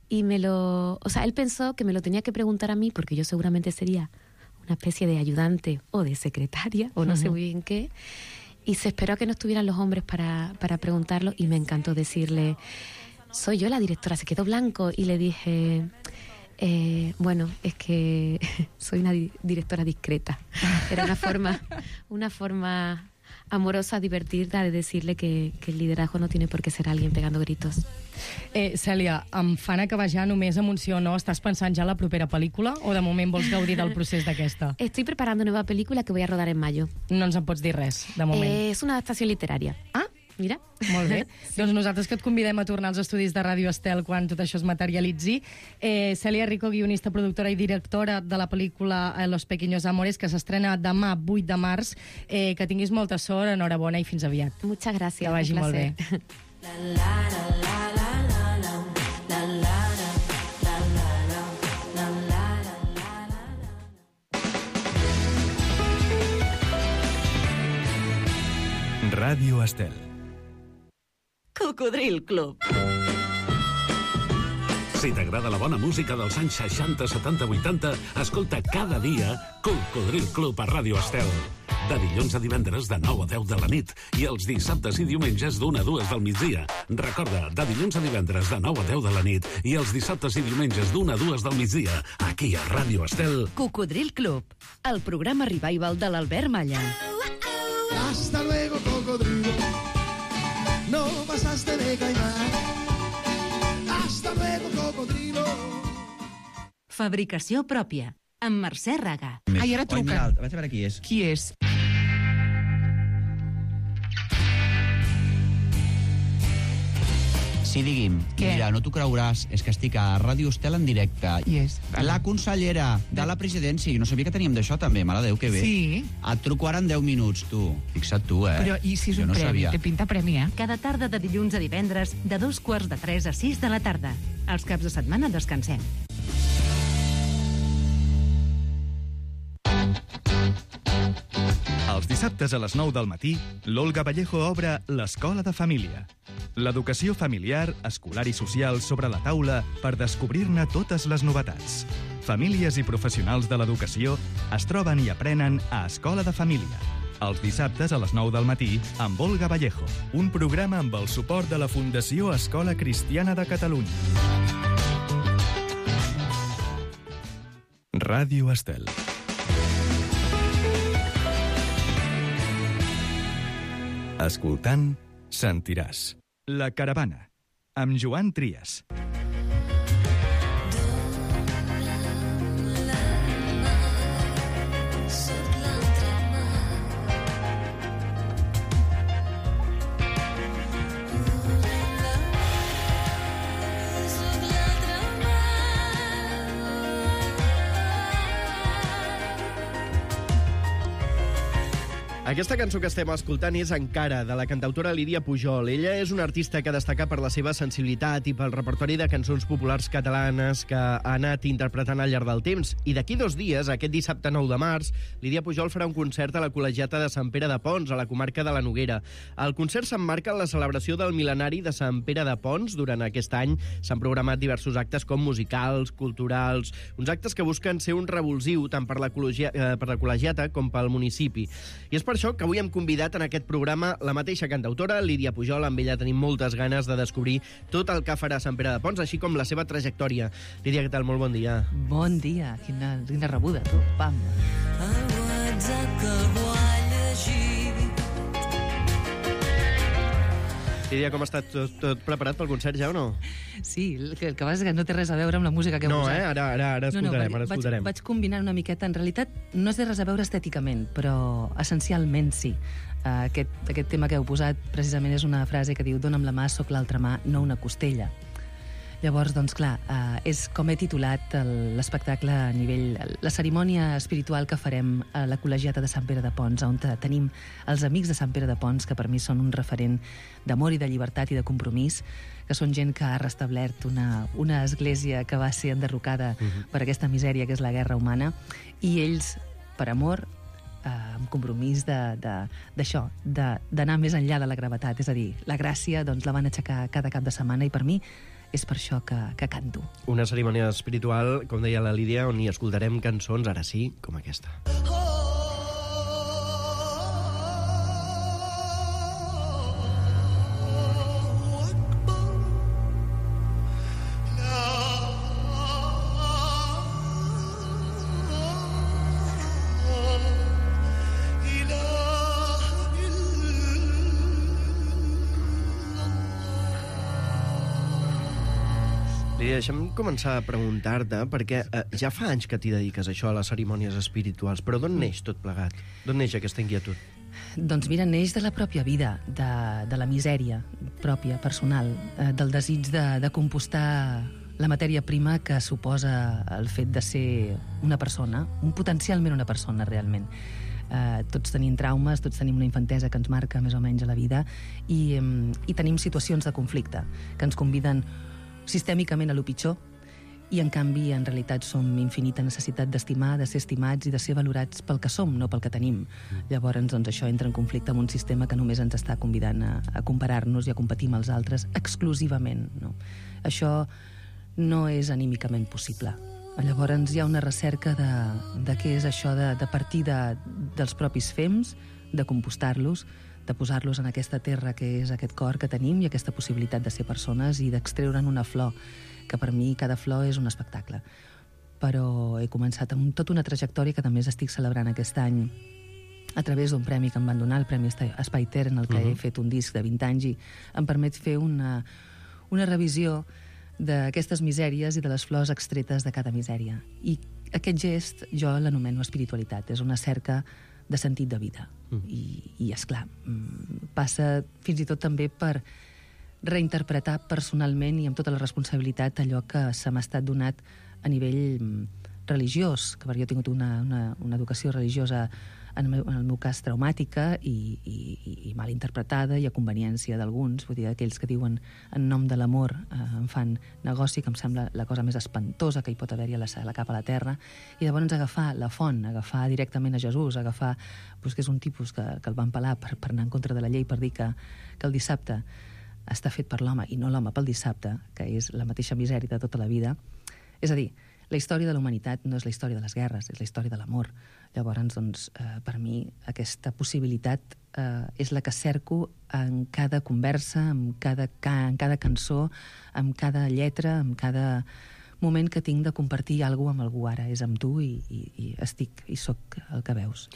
y me lo... O sea, él pensó que me lo tenía que preguntar a mí porque yo seguramente sería una especie de ayudante o de secretaria o no uh-huh. sé muy bien qué. Y se esperó a que no estuvieran los hombres para, para preguntarlo y me encantó decirle, soy yo la directora. Se quedó blanco y le dije, eh, bueno, es que soy una di- directora discreta. Era una forma, una forma amorosa, divertida de decirle que, que el liderazgo no tiene por qué ser alguien pegando gritos. Eh, Cèlia, em fan acabar ja només amb un sí o no. Estàs pensant ja en la propera pel·lícula o de moment vols gaudir del procés d'aquesta? Estoy preparando una nueva película que voy a rodar en mayo. No ens en pots dir res, de moment. Eh, és una adaptació literaria. Ah, mira. Molt bé. Sí. Doncs nosaltres que et convidem a tornar als estudis de Ràdio Estel quan tot això es materialitzi. Eh, Cèlia Rico, guionista, productora i directora de la pel·lícula Los Pequeños Amores, que s'estrena demà, vuit de març. Eh, que tinguis molta sort, enhorabona i fins aviat. Muchas gracias. Que vagi molt bé. Ràdio Estel. Cocodril Club. Si t'agrada la bona música dels anys seixanta, setanta, vuitanta, escolta cada dia Cocodril Club a Ràdio Estel. De dilluns a divendres de nou a deu de la nit i els dissabtes i diumenges d'una a dues del migdia. Recorda, de dilluns a divendres de nou a deu de la nit i els dissabtes i diumenges d'una a dues del migdia, aquí a Ràdio Estel. Cocodril Club, el programa revival de l'Albert Malla. Hasta luego, cocodrilo. No pasaste de caimán. Hasta luego, cocodrilo. Fabricació pròpia, amb Mercè Raga. Ai, ara truca. Vaig a veure qui és. Qui és? Sí, digui'm. Què? Mira, no t'ho creuràs, és que estic a Ràdio Estel en directe. Qui és? La consellera de la presidència. Jo no sabia que teníem d'això, també. Mare de Déu, que bé. Sí. Et truco ara en deu minuts, tu. Fixa't tu, eh? Però i si és jo un no premi? Sabia. Té pinta premi, eh? Cada tarda de dilluns a divendres, de dos quarts de tres a sis de la tarda. Els caps de setmana descansem. Els dissabtes a les nou del matí, l'Olga Vallejo obre l'Escola de Família. L'educació familiar, escolar i social sobre la taula per descobrir-ne totes les novetats. Famílies i professionals de l'educació es troben i aprenen a Escola de Família. Els dissabtes a les nou del matí amb Olga Vallejo, un programa amb el suport de la Fundació Escola Cristiana de Catalunya. Ràdio Estel. Escoltant, sentiràs. La Caravana, amb Joan Trias. Aquesta cançó que estem escoltant és Encara, de la cantautora Lídia Pujol. Ella és una artista que destaca per la seva sensibilitat i pel repertori de cançons populars catalanes que ha anat interpretant al llarg del temps. I d'aquí dos dies, aquest dissabte nou de març, Lídia Pujol farà un concert a la Col·legiata de Sant Pere de Pons, a la comarca de la Noguera. El concert s'emmarca en la celebració del mil·lenari de Sant Pere de Pons. Durant aquest any s'han programat diversos actes com musicals, culturals, uns actes que busquen ser un revulsiu tant per la, eh, per la col·legiata com pel municipi. I és per això que avui hem convidat en aquest programa la mateixa cantautora, Lídia Pujol. Amb ella tenim moltes ganes de descobrir tot el que farà Sant Pere de Pons, així com la seva trajectòria. Lídia, què tal? Molt bon dia. Bon dia. Quina, quina rebuda, tu. Pam. El WhatsApp que algú ha llegit. Lídia, com està? Tot, tot preparat pel concert ja o no? Sí, el que, el que passa és que no té res a veure amb la música que he no, posat. No, eh? Ara, ara, ara escoltarem, no, no, ara escoltarem. Vaig, vaig combinar una miqueta. En realitat, no té res a veure estèticament, però essencialment sí. Uh, aquest, aquest tema que heu posat precisament és una frase que diu «Dóna'm la mà, soc l'altra mà, no una costella». Llavors, doncs clar, eh, és com he titulat el- l'espectacle a nivell... La cerimònia espiritual que farem a la Col·legiata de Sant Pere de Pons, on te- tenim els amics de Sant Pere de Pons, que per mi són un referent d'amor i de llibertat i de compromís, que són gent que ha restablert una, una església que va ser enderrocada Mhm. per aquesta misèria que és la guerra humana, i ells, per amor, eh, amb compromís de- de- d'això, de, d'anar més enllà de la gravetat. És a dir, la gràcia doncs, la van aixecar cada cap de setmana i per mi és per això que, que canto. Una cerimònia espiritual, com deia la Lídia, on hi escoltarem cançons, ara sí, com aquesta. Lídia, deixa'm començar a preguntar-te, perquè eh, ja fa anys que t'hi dediques a això, a les cerimònies espirituals, però d'on neix tot plegat? D'on neix aquesta inquietud? Doncs mira, neix de la pròpia vida, de, de la misèria pròpia, personal, eh, del desig de, de compostar la matèria prima que suposa el fet de ser una persona, un potencialment una persona, realment. Eh, tots tenim traumes, tots tenim una infantesa que ens marca més o menys a la vida i, em, i tenim situacions de conflicte que ens conviden sistèmicament a lo pitjor i, en canvi, en realitat som infinita necessitat d'estimar, de ser estimats i de ser valorats pel que som, no pel que tenim. Llavors, doncs, això entra en conflicte amb un sistema que només ens està convidant a, a comparar-nos i a competir amb els altres exclusivament. No? Això no és anímicament possible. Llavors, hi ha una recerca de, de què és això de, de partir de, dels propis fems, de compostar-los, de posar-los en aquesta terra que és aquest cor que tenim i aquesta possibilitat de ser persones i d'extreure'n una flor, que per mi cada flor és un espectacle. Però he començat amb tota una trajectòria que també estic celebrant aquest any a través d'un premi que em van donar, el Premi Espai Ter, en el que uh-huh. he fet un disc de vint anys i em permet fer una, una revisió d'aquestes misèries i de les flors extretes de cada misèria. I aquest gest jo l'anomeno espiritualitat, és una cerca de sentit de vida. Mm. I, i esclar, passa fins i tot també per reinterpretar personalment i amb tota la responsabilitat allò que se m'ha estat donat a nivell religiós, que jo he tingut una, una, una educació religiosa en el meu, en el meu cas traumàtica i, i, i mal interpretada i a conveniència d'alguns, vull dir, aquells que diuen en nom de l'amor eh, em fan negoci, que em sembla la cosa més espantosa que hi pot haver-hi a la, a la cap a la terra, i llavors agafar la font, agafar directament a Jesús, agafar, doncs, que és un tipus que, que el van pelar per, per anar en contra de la llei, per dir que, que el dissabte està fet per l'home i no l'home pel dissabte, que és la mateixa misèria de tota la vida. És a dir, la història de la humanitat no és la història de les guerres, és la història de l'amor. Llavors, doncs, eh, per mi, aquesta possibilitat eh, és la que cerco en cada conversa, en cada, en cada cançó, en cada lletra, en cada moment que tinc de compartir alguna cosa amb algú ara. És amb tu i, i, i estic i sóc el que veus.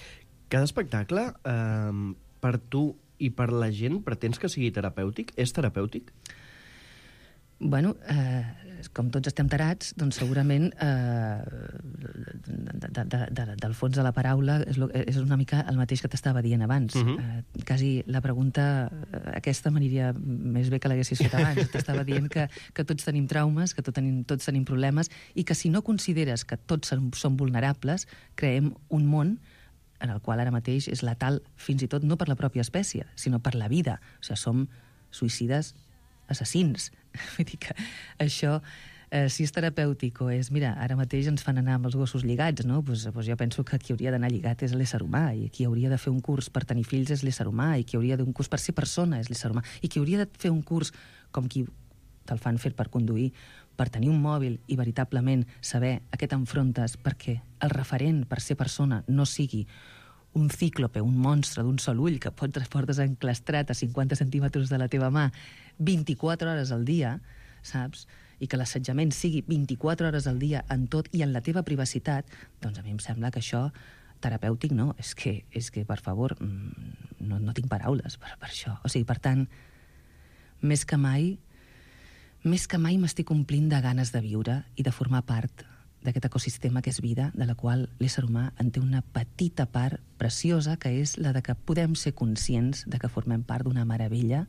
Cada espectacle, eh, per tu i per la gent, pretens que sigui terapèutic? És terapèutic? Bueno, eh, com tots estem tarats, doncs segurament eh, de, de, de, de, del fons de la paraula és, lo, és una mica el mateix que t'estava dient abans. Uh-huh. eh, quasi la pregunta aquesta m'aniria més bé que l'haguessis fet abans. T'estava dient que, que tots tenim traumes, que tot tenim, tots tenim problemes, i que si no consideres que tots som, som vulnerables, creem un món en el qual ara mateix és letal, fins i tot no per la pròpia espècie, sinó per la vida. O sigui, som suïcides assassins. Vull dir que això, eh, si és terapèutic o és... Mira, ara mateix ens fan anar amb els gossos lligats, no? Pues, pues jo penso que qui hauria d'anar lligat és l'ésser humà, i qui hauria de fer un curs per tenir fills és l'ésser humà, i qui hauria d'un curs per ser persona és l'ésser humà, i qui hauria de fer un curs com qui te'l fan fer per conduir, per tenir un mòbil i veritablement saber a què t'enfrontes, perquè el referent per ser persona no sigui un cíclope, un monstre d'un sol ull que pots portes enclastrat a cinquanta centímetres de la teva mà vint-i-quatre hores al dia, saps? I que l'assetjament sigui vint-i-quatre hores al dia en tot i en la teva privacitat, doncs a mi em sembla que això terapèutic no, és que, és que per favor, no, no tinc paraules per, per això. O sigui, per tant, més que mai, més que mai m'estic omplint de ganes de viure i de formar part d'aquest ecosistema que és vida, de la qual l'ésser humà en té una petita part preciosa, que és la de que podem ser conscients de que formem part d'una meravella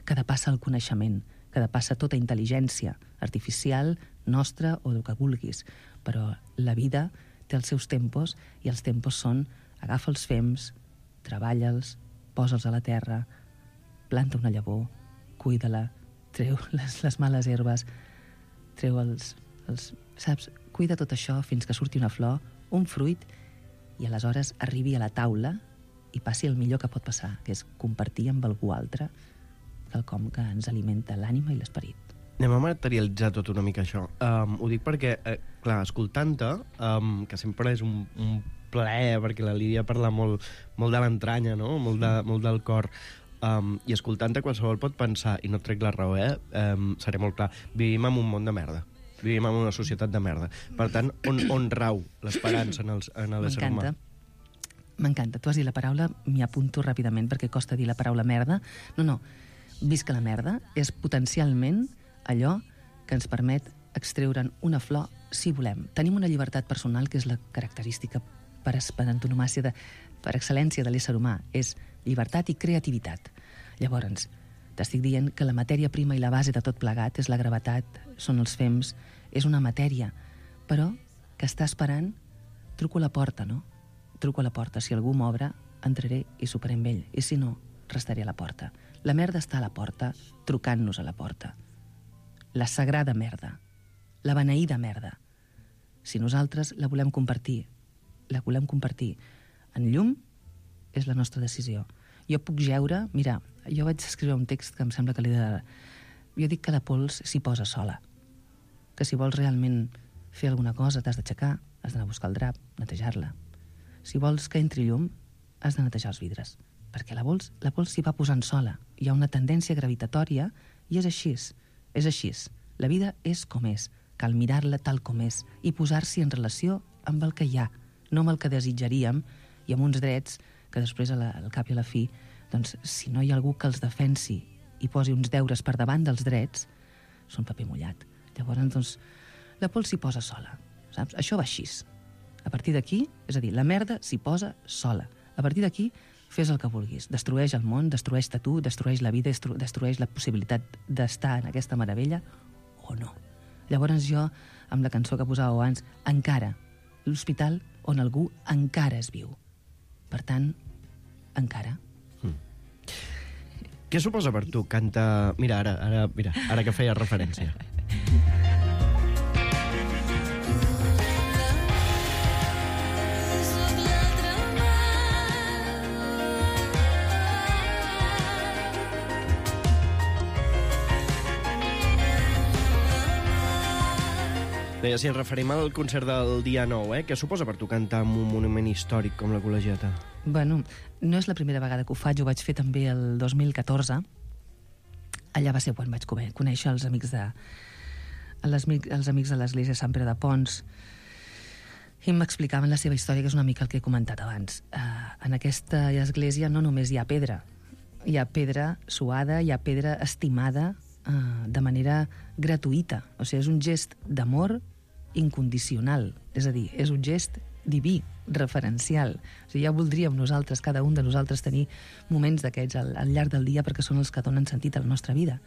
que depassa el coneixement, que depassa tota intel·ligència artificial, nostra o del que vulguis. Però la vida té els seus tempos i els tempos són agafa els fems, treballa'ls, posa'ls a la terra, planta una llavor, cuida-la, treu les, les males herbes, treu els, els... Saps? Cuida tot això fins que surti una flor, un fruit, i aleshores arribi a la taula i passi el millor que pot passar, que és compartir amb algú altre quelcom que ens alimenta l'ànima i l'esperit. Anem a materialitzar tot una mica això. Um, ho dic perquè, eh, clar, escoltant-te, um, que sempre és un, un plaer, perquè la Lídia parla molt, molt de l'entranya, no? molt, de, molt del cor, um, i escoltant-te qualsevol pot pensar, i no et trec la raó, eh? Um, seré molt clar, vivim en un món de merda. Vivim en una societat de merda. Per tant, on, on rau l'esperança en, els, en l'ésser humà? M'encanta. Tu has dit la paraula, m'hi apunto ràpidament perquè costa dir la paraula merda. No, no. Visca la merda és potencialment allò que ens permet extreure'n una flor si volem. Tenim una llibertat personal que és la característica per, per antonomàcia, de, per excel·lència de l'ésser humà. És llibertat i creativitat. Llavors, t'estic dient que la matèria prima i la base de tot plegat és la gravetat, són els fems, és una matèria, però que està esperant, truco a la porta, no? Truco a la porta. Si algú m'obre, entraré i soparé amb ell. I si no, restaré a la porta. La merda està a la porta, trucant-nos a la porta. La sagrada merda. La beneïda merda. Si nosaltres la volem compartir, la volem compartir en llum, és la nostra decisió. Jo puc jeure... Mira, jo vaig escriure un text que em sembla que l'he de... Jo dic que la pols s'hi posa sola. Que si vols realment fer alguna cosa t'has d'aixecar, has d'anar a buscar el drap, netejar-la. Si vols que entri llum, has de netejar els vidres. Perquè la pols, la pols s'hi va posant sola. Hi ha una tendència gravitatòria i és així. És així. La vida és com és. Cal mirar-la tal com és i posar-s'hi en relació amb el que hi ha, no amb el que desitjaríem i amb uns drets que després, a la, al cap i a la fi, doncs, si no hi ha algú que els defensi i posi uns deures per davant dels drets, són paper mullat. Llavors, doncs, la pols s'hi posa sola. Saps? Això va així. A partir d'aquí, és a dir, la merda s'hi posa sola. A partir d'aquí, fes el que vulguis. Destrueix el món, destrueix-te tu, destrueix la vida, destru destrueix la possibilitat d'estar en aquesta meravella o no. Llavors jo, amb la cançó que posàveu abans, encara, l'hospital on algú encara es viu. Per tant, encara. Mm. Què suposa per tu cantar... Mira, ara, ara, mira, ara que feia referència. Deia, si ens referim al concert del dia nou, eh? Què suposa per tu cantar en un monument històric com la Col·legiata? Bueno, no és la primera vegada que ho faig, ho vaig fer també el dos mil catorze. Allà va ser quan vaig conèixer els amics de, els, els amics de l'església Sant Pere de Pons i m'explicaven la seva història, que és una mica el que he comentat abans. Uh, en aquesta església no només hi ha pedra, hi ha pedra suada, hi ha pedra estimada uh, de manera gratuïta. O sigui, és un gest d'amor incondicional, és a dir, és un gest diví, referencial. O sigui, ja voldríem nosaltres, cada un de nosaltres, tenir moments d'aquests al, al llarg del dia perquè són els que donen sentit a la nostra vida.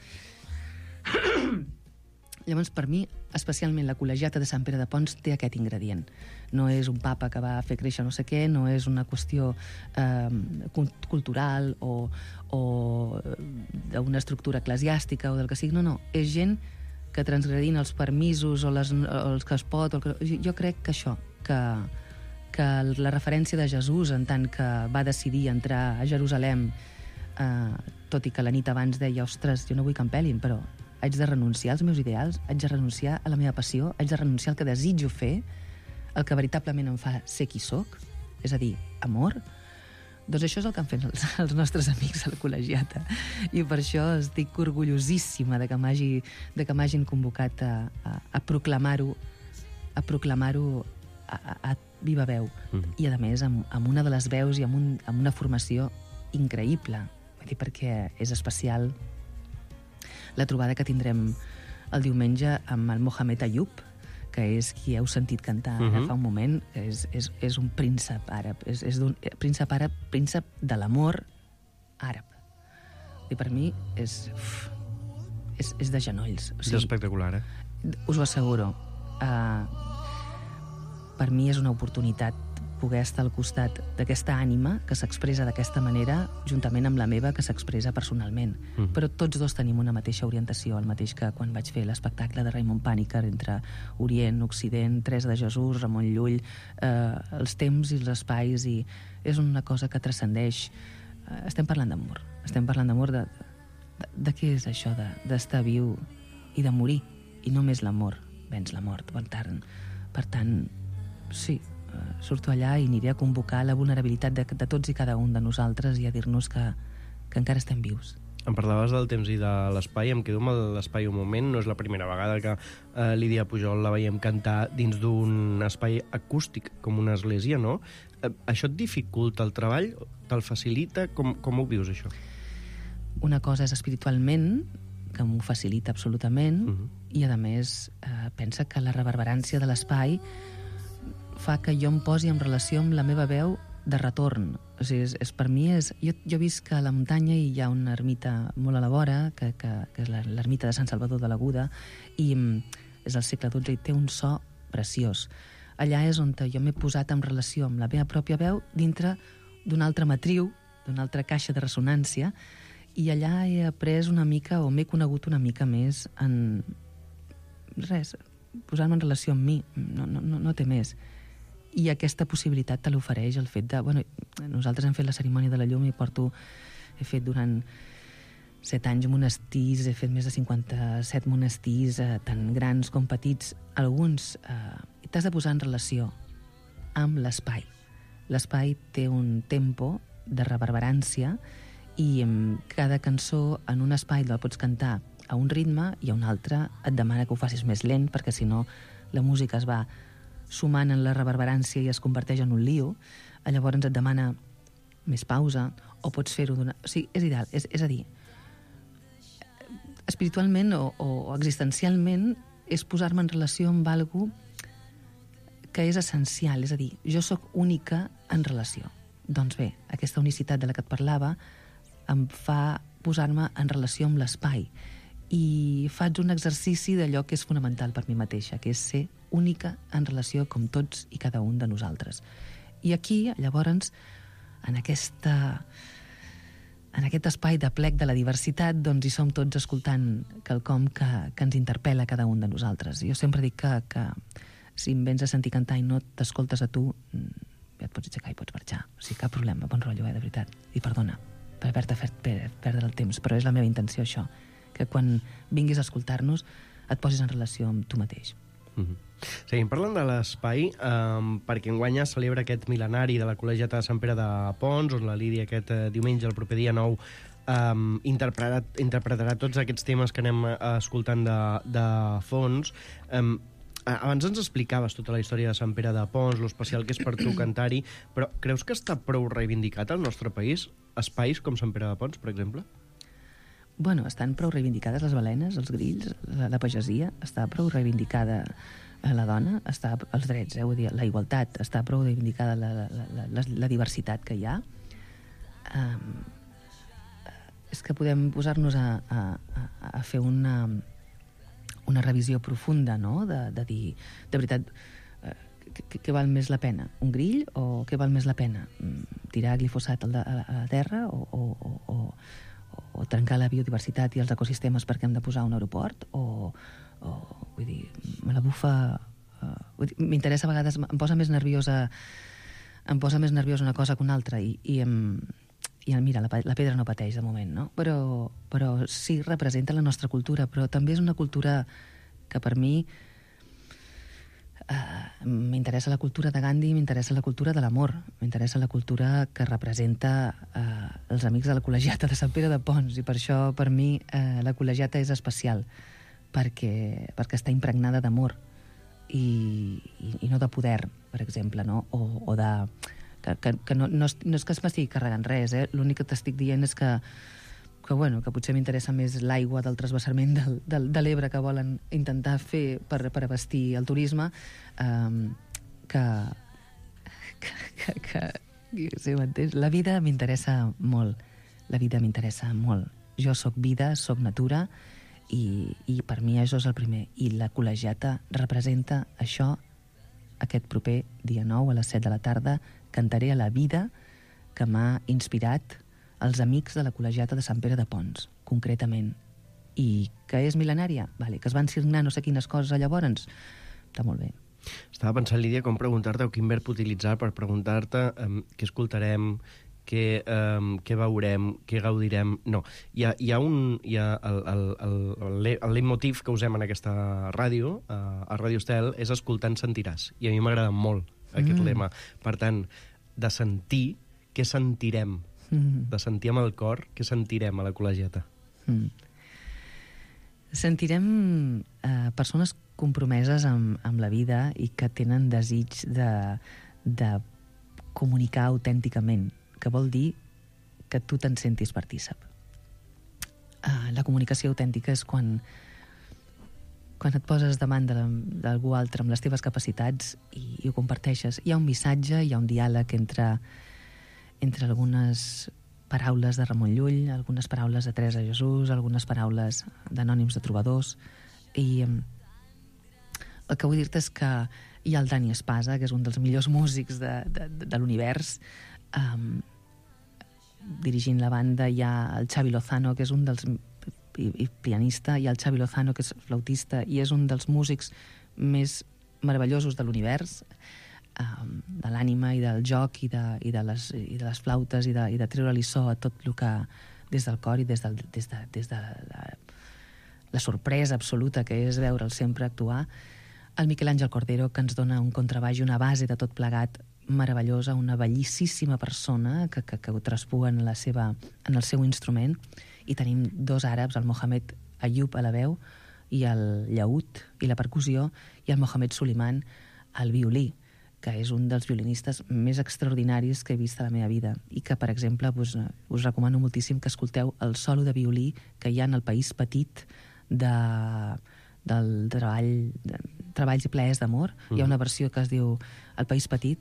Llavors, per mi, especialment la Col·legiata de Sant Pere de Pons té aquest ingredient. No és un papa que va fer créixer no sé què, no és una qüestió eh, cultural o, o d'una estructura eclesiàstica o del que sigui. No, no, és gent que transgredint els permisos o, les, o els que es pot... O el que, jo crec que això, que, que la referència de Jesús en tant que va decidir entrar a Jerusalem, eh, tot i que la nit abans deia, ostres, jo no vull que em pelin, però haig de renunciar als meus ideals, haig de renunciar a la meva passió, haig de renunciar al que desitjo fer, el que veritablement em fa ser qui sóc, és a dir, amor. Doncs això és el que han fet els, els nostres amics a la Col·legiata. I per això estic orgullosíssima de que m'hagin convocat a, a, a proclamar-ho a proclamar-ho a, a, a viva veu. Mm. I, a més, amb, amb una de les veus i amb, un, amb una formació increïble. Vull dir, perquè és especial la trobada que tindrem el diumenge amb el Mohamed Ayub, que és qui heu sentit cantar ara uh-huh. fa un moment, és, és, és un príncep àrab, és, és un príncep àrab, príncep de l'amor àrab. I per mi és... Uf, és, és de genolls. O sigui, és espectacular, eh? Us ho asseguro. Uh, per mi és una oportunitat poder estar al costat d'aquesta ànima que s'expressa d'aquesta manera juntament amb la meva que s'expressa personalment. Mm. Però tots dos tenim una mateixa orientació, el mateix que quan vaig fer l'espectacle de Raymond Paniker entre Orient, Occident, Teresa de Jesús, Ramon Llull, eh, els temps i els espais, i és una cosa que transcendeix. Eh, estem parlant d'amor. Estem parlant d'amor de, de, de què és això d'estar de, viu i de morir. I només l'amor venç la mort. Per tant, per tant sí, surto allà i aniré a convocar la vulnerabilitat de, de tots i cada un de nosaltres i a dir-nos que, que encara estem vius. Em parlaves del temps i de l'espai, em quedo amb l'espai un moment. No és la primera vegada que eh, Lídia Pujol la veiem cantar dins d'un espai acústic, com una església, no? Eh, això et dificulta el treball? Te'l facilita? Com, com ho vius, això? Una cosa és espiritualment, que m'ho facilita absolutament, uh-huh. i a més eh, pensa que la reverberància de l'espai fa que jo em posi en relació amb la meva veu de retorn. O sigui, és, és, per mi és... Jo, jo visc a la muntanya i hi ha una ermita molt a la vora, que, que, que és l'ermita de Sant Salvador de l'Aguda, i és del segle dotze i té un so preciós. Allà és on jo m'he posat en relació amb la meva pròpia veu dintre d'una altra matriu, d'una altra caixa de ressonància, i allà he après una mica, o m'he conegut una mica més en... res, posar-me en relació amb mi. No, no, no, no té més. I aquesta possibilitat te l'ofereix el fet de... Bueno, nosaltres hem fet la cerimònia de la llum i porto... He fet durant set anys monestirs, he fet més de cinquanta-set monestirs, eh, tant grans com petits. Alguns eh, t'has de posar en relació amb l'espai. L'espai té un tempo de reverberància i eh, cada cançó en un espai la pots cantar a un ritme i a un altre et demana que ho facis més lent perquè si no la música es va sumant en la reverberància i es converteix en un lío, llavors et demana més pausa, o pots fer-ho d'una... O sigui, és ideal, és, és a dir, espiritualment o, o existencialment és posar-me en relació amb algú que és essencial, és a dir, jo sóc única en relació. Doncs bé, aquesta unicitat de la que et parlava em fa posar-me en relació amb l'espai i faig un exercici d'allò que és fonamental per mi mateixa, que és ser única en relació com tots i cada un de nosaltres. I aquí, llavors, en aquesta... en aquest espai de plec de la diversitat, doncs hi som tots escoltant quelcom que, que ens interpel·la cada un de nosaltres. Jo sempre dic que, que si em vens a sentir cantar i no t'escoltes a tu, ja et pots aixecar i pots marxar. O sigui, cap problema, bon rotllo, eh, de veritat. I perdona per haver-te fet perdre el temps, però és la meva intenció, això, que quan vinguis a escoltar-nos et posis en relació amb tu mateix. Mm-hmm. Seguim parlant de l'espai, um, perquè enguany es celebra aquest mil·lenari de la Col·legiata de Sant Pere de Pons, on la Lídia aquest uh, diumenge, el proper dia nou, um, interpretarà, interpretarà tots aquests temes que anem uh, escoltant de, de fons. Um, abans ens explicaves tota la història de Sant Pere de Pons, l'especial que és per tu cantar-hi, però creus que està prou reivindicat al nostre país espais com Sant Pere de Pons, per exemple? Bueno, estan prou reivindicades les balenes, els grills, la, la pagesia, està prou reivindicada la dona, està, els drets, eh, vull dir, la igualtat, està prou reivindicada la, la, la, la, la diversitat que hi ha. Um, és que podem posar-nos a, a, a fer una, una revisió profunda, no?, de, de dir, de veritat, què val més la pena? Un grill o què val més la pena? Tirar glifosat a la, a la terra o... o, o, o o trencar la biodiversitat i els ecosistemes perquè hem de posar un aeroport, o, o vull dir, me la bufa... Uh, m'interessa a vegades, em posa més nerviosa em posa més nerviosa una cosa que una altra, i, i, em, i mira, la, la pedra no pateix de moment, no? Però, però sí representa la nostra cultura, però també és una cultura que per mi Uh, m'interessa la cultura de Gandhi, m'interessa la cultura de l'amor, m'interessa la cultura que representa uh, els amics de la Col·legiata de Sant Pere de Pons, i per això per mi uh, la Col·legiata és especial, perquè, perquè està impregnada d'amor i, i, i no de poder, per exemple, no? o, o de... que, que, que no, no, és, no és que es m'estigui carregant res, eh? L'únic que t'estic dient és que que, bueno, que potser m'interessa més l'aigua del transvasament del, del, de l'Ebre que volen intentar fer per, per abastir el turisme, um, que, que, que, que sí, m'entens? La vida m'interessa molt, la vida m'interessa molt. Jo sóc vida, sóc natura, I, i per mi això és el primer. I la col·legiata representa això. Aquest proper dia nou a les set de la tarda cantaré a la vida que m'ha inspirat els amics de la col·legiata de Sant Pere de Pons, concretament. I que és mil·lenària? Vale. Que es van signar no sé quines coses llavors? Està molt bé. Estava pensant, Lídia, com preguntar-te o quin verb utilitzar per preguntar-te um, què escoltarem, què, um, què veurem, què gaudirem... No, hi ha, hi ha un... Hi ha el, el, el, el, el leitmotiv que usem en aquesta ràdio, uh, a Ràdio Estel, és escoltant sentiràs. I a mi m'agrada molt aquest mm. lema. Per tant, de sentir, què sentirem? Mm. De sentir amb el cor, què sentirem a la col·legiata? Mm. Sentirem eh, persones compromeses amb, amb la vida i que tenen desig de, de comunicar autènticament, que vol dir que tu te'n sentis partícip. Uh, la comunicació autèntica és quan, quan et poses davant d'algú altre amb les teves capacitats i, i ho comparteixes. Hi ha un missatge, hi ha un diàleg entre, entre algunes paraules de Ramon Llull, algunes paraules de Teresa Jesús, algunes paraules d'anònims de trobadors, i um, el que vull dir-te és que hi ha el Dani Espasa, que és un dels millors músics de, de, de l'univers, um, dirigint la banda. Hi ha el Xavi Lozano, que és un dels... I, i pianista, hi ha el Xavi Lozano, que és flautista, i és un dels músics més meravellosos de l'univers, um, de l'ànima i del joc i de, i de, les, i de les flautes i de, i de treure-li so a tot el que... des del cor i des, del, des de, des de la, la sorpresa absoluta que és veure'l sempre actuar. El Miquel Àngel Cordero, que ens dona un contrabaix i una base de tot plegat meravellosa, una bellíssima persona que, que, que ho traspua en, la seva, en el seu instrument. I tenim dos àrabs, el Mohamed Ayub a la veu i el llaüt i la percussió, i el Mohamed Suleiman al violí, que és un dels violinistes més extraordinaris que he vist a la meva vida, i que, per exemple, us, us recomano moltíssim que escolteu el solo de violí que hi ha en El País Petit de... del treball, de, Treballs i plaers d'amor. Mm. Hi ha una versió que es diu El País Petit,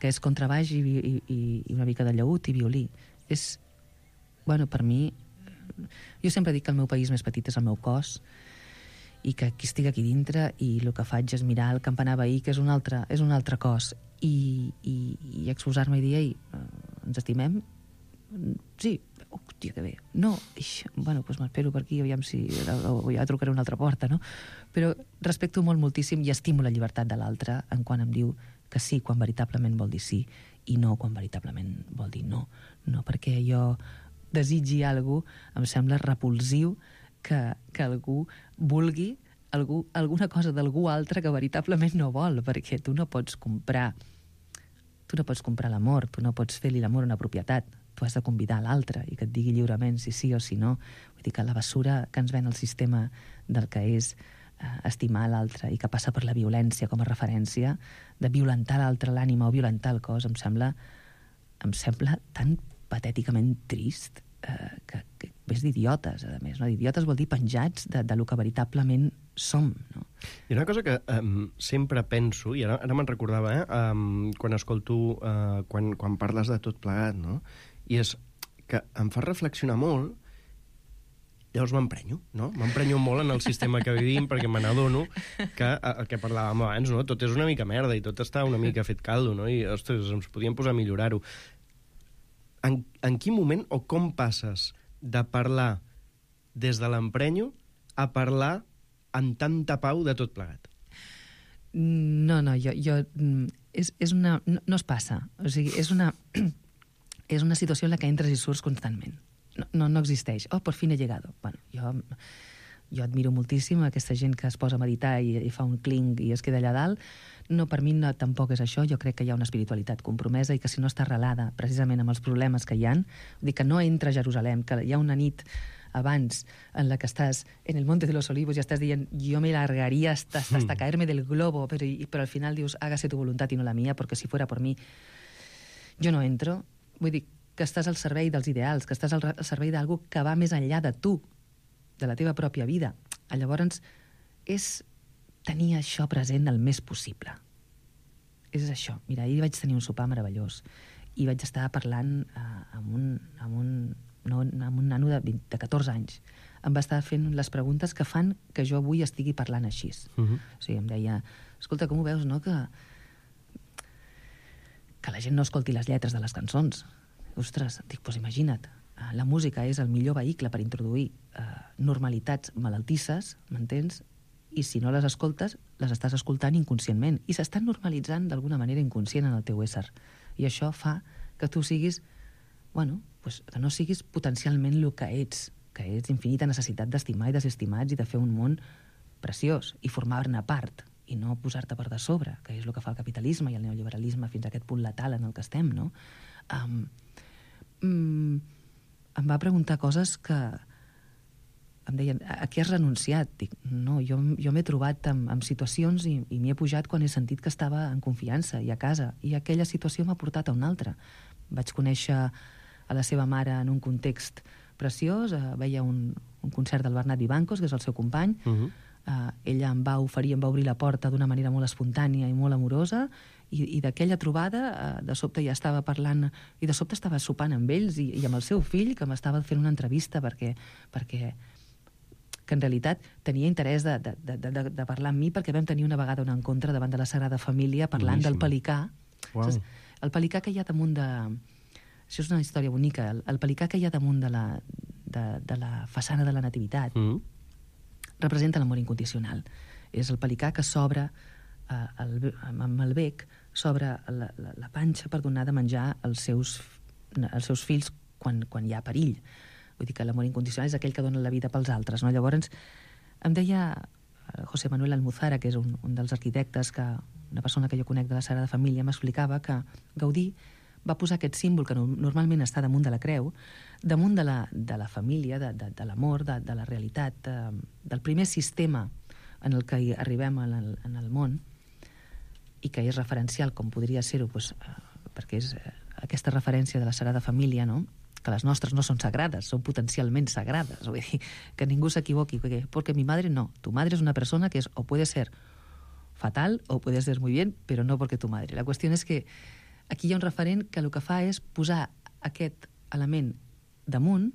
que és contrabaix i, i, i una mica de llaüt i violí. És, bueno, per mi, jo sempre dic que el meu país més petit és el meu cos, i que aquí estic aquí dintre i el que faig és mirar el campanar veí, que és un altre, és un altre cos, i, i, i exposar-me i dir, ei, ens estimem? Sí. Hòstia, que bé. No, ix, bueno, doncs m'espero per aquí, aviam si o ja trucaré una altra porta, no? Però respecto molt moltíssim i estimo la llibertat de l'altre en quan em diu que sí quan veritablement vol dir sí i no quan veritablement vol dir no. No perquè jo desitgi alguna cosa, em sembla repulsiu que, que algú vulgui algú, alguna cosa d'algú altre que veritablement no vol, perquè tu no pots comprar tu no pots comprar l'amor, tu no pots fer-li l'amor a una propietat, tu has de convidar l'altre i que et digui lliurement si sí o si no. Vull dir que la bessura que ens ven el sistema del que és eh, estimar l'altre i que passa per la violència com a referència, de violentar l'altre l'ànima o violentar el cos, em sembla, em sembla tan patèticament trist eh, que, que és d'idiotes, a més. No? Idiotes vol dir penjats de, de lo que veritablement som. No? Hi ha una cosa que um, sempre penso, i ara, ara me'n recordava, eh, um, quan escolto, uh, quan, quan parles de tot plegat, no? I és que em fa reflexionar molt, llavors m'emprenyo, no? M'emprenyo molt en el sistema que vivim perquè me n'adono que el que parlàvem abans, no? Tot és una mica merda i tot està una mica fet caldo, no? I, ostres, ens podíem posar a millorar-ho. En, en quin moment o com passes de parlar des de l'emprenyo a parlar amb tanta pau de tot plegat? No, no, jo... jo és, és una... No, no es passa. O sigui, és una... és una situació en la que entres i surts constantment. No, no, no existeix. Oh, por fin he llegado. Bueno, jo, jo admiro moltíssim aquesta gent que es posa a meditar i, i fa un clinc i es queda allà dalt. No, per mi no, tampoc és això. Jo crec que hi ha una espiritualitat compromesa i que si no està arrelada precisament amb els problemes que hi ha, vull dir que no entra a Jerusalem, que hi ha una nit abans en la que estàs en el Monte de los Olivos i estàs dient jo me largaria hasta, hasta caerme del globo, però, però al final dius hágase tu voluntad i no la mía, porque si fuera por mí jo no entro. Vull dir que estàs al servei dels ideals, que estàs al, al servei d'algú que va més enllà de tu, de la teva pròpia vida. Llavors, és tenir això present el més possible. És això. Mira, ahir vaig tenir un sopar meravellós i vaig estar parlant uh, amb, un, amb, un, no, amb un nano de, vint, de catorze anys em va estar fent les preguntes que fan que jo avui estigui parlant així. Uh-huh. O sigui, em deia, escolta, com ho veus, no?, que, que la gent no escolti les lletres de les cançons. Ostres, dic, doncs imagina't, la música és el millor vehicle per introduir eh, normalitats malaltisses, m'entens? I si no les escoltes, les estàs escoltant inconscientment. I s'estan normalitzant d'alguna manera inconscient en el teu ésser. I això fa que tu siguis, bueno, pues, que no siguis potencialment el que ets, que ets infinita necessitat d'estimar i desestimats i de fer un món preciós i formar-ne part i no posar-te per de sobre, que és el que fa el capitalisme i el neoliberalisme fins a aquest punt letal en el que estem, no? Um, um, em va preguntar coses que em deien, a què has renunciat? Dic, no, jo, jo m'he trobat amb, amb situacions i, i m'hi he pujat quan he sentit que estava en confiança i a casa, i aquella situació m'ha portat a una altra. Vaig conèixer a la seva mare en un context preciós, eh, veia un, un concert del Bernat Vivancos, que és el seu company, uh-huh. eh, ella em va oferir, em va obrir la porta d'una manera molt espontània i molt amorosa, i, i d'aquella trobada, eh, de sobte ja estava parlant, i de sobte estava sopant amb ells i, i amb el seu fill, que m'estava fent una entrevista perquè, perquè que en realitat tenia interès de, de, de, de, de parlar amb mi, perquè vam tenir una vegada un encontre davant de la Sagrada Família parlant Boníssim. Del pelicà. Wow. Saps? El pelicà que hi ha damunt de... Això és una història bonica. El, el pelicà que hi ha damunt de la, de, de la façana de la Nativitat mm. representa l'amor incondicional. És el pelicà que s'obre eh, el, amb el bec, s'obre la, la, la panxa per donar de menjar als seus, als seus fills quan, quan hi ha perill. Vull dir que l'amor incondicional és aquell que dona la vida pels altres, no? Llavors, em deia José Manuel Almuzara, que és un, un dels arquitectes, que una persona que jo conec de la Sagrada Família, m'explicava que Gaudí va posar aquest símbol que no, normalment està damunt de la creu, damunt de la, de la família, de, de, de l'amor, de, de la realitat, de, del primer sistema en el que arribem en el, en el món, i que és referencial, com podria ser-ho, doncs, perquè és aquesta referència de la Sagrada Família, no?, que les nostres no són sagrades, són potencialment sagrades. Vull dir, que ningú s'equivoqui, perquè, porque mi madre no. Tu madre es una persona que es, o puede ser fatal o puede ser muy bien, pero no porque tu madre. La qüestió és que aquí hi ha un referent que el que fa és posar aquest element damunt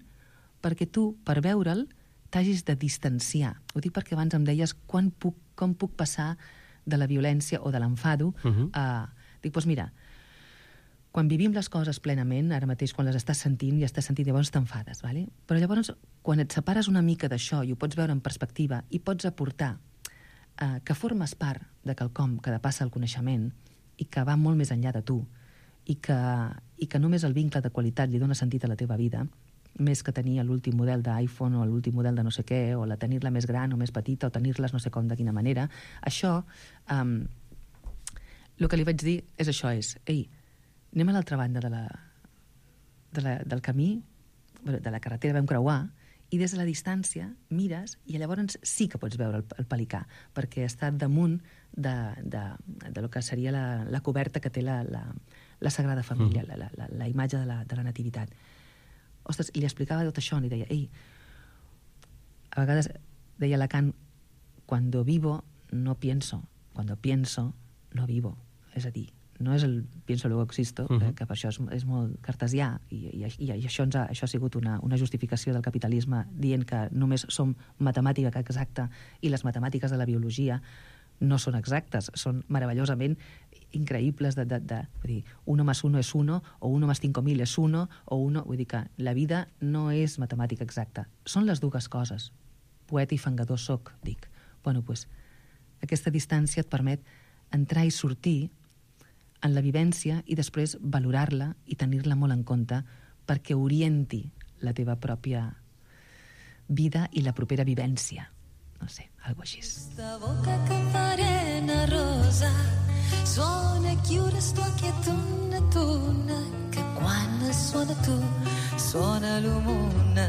perquè tu, per veure'l, t'hagis de distanciar. Ho dic perquè abans em deies quan puc, com puc passar de la violència o de l'enfado uh-huh. a... Dic, doncs mira, quan vivim les coses plenament, ara mateix quan les estàs sentint i estàs sentint, llavors t'enfades, ¿vale? Però llavors, quan et separes una mica d'això i ho pots veure en perspectiva i pots aportar eh, que formes part de quelcom que depassa el coneixement i que va molt més enllà de tu i que, i que només el vincle de qualitat li dona sentit a la teva vida, més que tenir l'últim model d'iPhone o l'últim model de no sé què, o la tenir-la més gran o més petita o tenir-les no sé com, de quina manera, això, eh, el que li vaig dir és això, és, ei, anem a l'altra banda de la, de la, del camí, de la carretera vam creuar, i des de la distància mires i llavors sí que pots veure el, el pelicà, perquè està damunt de, de, de lo que seria la, la coberta que té la, la, la Sagrada Família, mm. la, la, la imatge de la, de la Nativitat. Ostres, i li explicava tot això, li deia, ei, a vegades, deia Lacan, cuando vivo no pienso, cuando pienso no vivo, és a dir, no és el pienso luego existo, uh-huh. que, que per això és, és molt cartesià, i, i, i això, ens ha, això ha sigut una, una justificació del capitalisme dient que només som matemàtica exacta i les matemàtiques de la biologia no són exactes, són meravellosament increïbles de, de, de vull dir, uno más uno és uno, o uno más cinco mil és uno, o uno, vull dir que la vida no és matemàtica exacta. Són les dues coses. Poeta i fangador soc, dic. Bueno, doncs, aquesta distància et permet entrar i sortir en la vivència i després valorar-la i tenir-la molt en compte perquè orienti la teva pròpia vida i la propera vivència. No sé, algo així. Questa boca camparena rosa suona e chiude sto quietuna tuna que quan suona tu suona l'humuna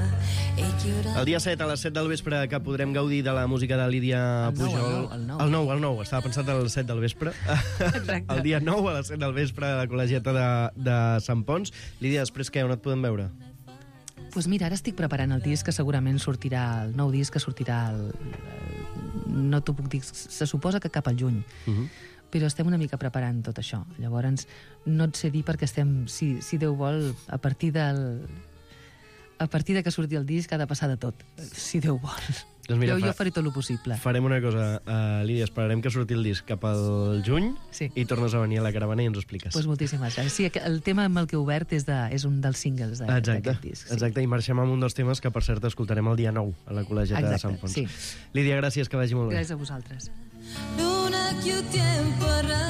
e chiude... El dia set a les set del vespre que podrem gaudir de la música de Lídia el Pujol. El nou, el nou, el nou. Estava pensat a les set del vespre. Exacte. El dia nou a les set del vespre a la Col·legiata de, de Sant Pons. Lídia, després què? On et podem veure? Pues mira, ara estic preparant el disc que segurament sortirà, el nou disc que sortirà el... no t'ho puc dir, se suposa que cap al juny. Uh-huh. Però estem una mica preparant tot això. Llavors, no et sé dir perquè estem, si, si Déu vol, a partir del... a partir de que surti el disc ha de passar de tot, si Déu vol. Doncs mira, jo, fa... jo faré tot el possible. Farem una cosa, uh, Lídia, esperarem que surti el disc cap al juny sí. i tornes a venir a la caravana i ens ho expliques. Pues moltíssimes gràcies. Sí, el tema amb el que he obert és, de, és un dels singles d'aquest disc. Sí. Exacte, i marxem amb un dels temes que, per cert, escoltarem el dia nou a la Col·legiata Exacte, de Sant Fons. Sí. Lídia, gràcies, que vagi molt bé. Gràcies a vosaltres. Luna que o tempo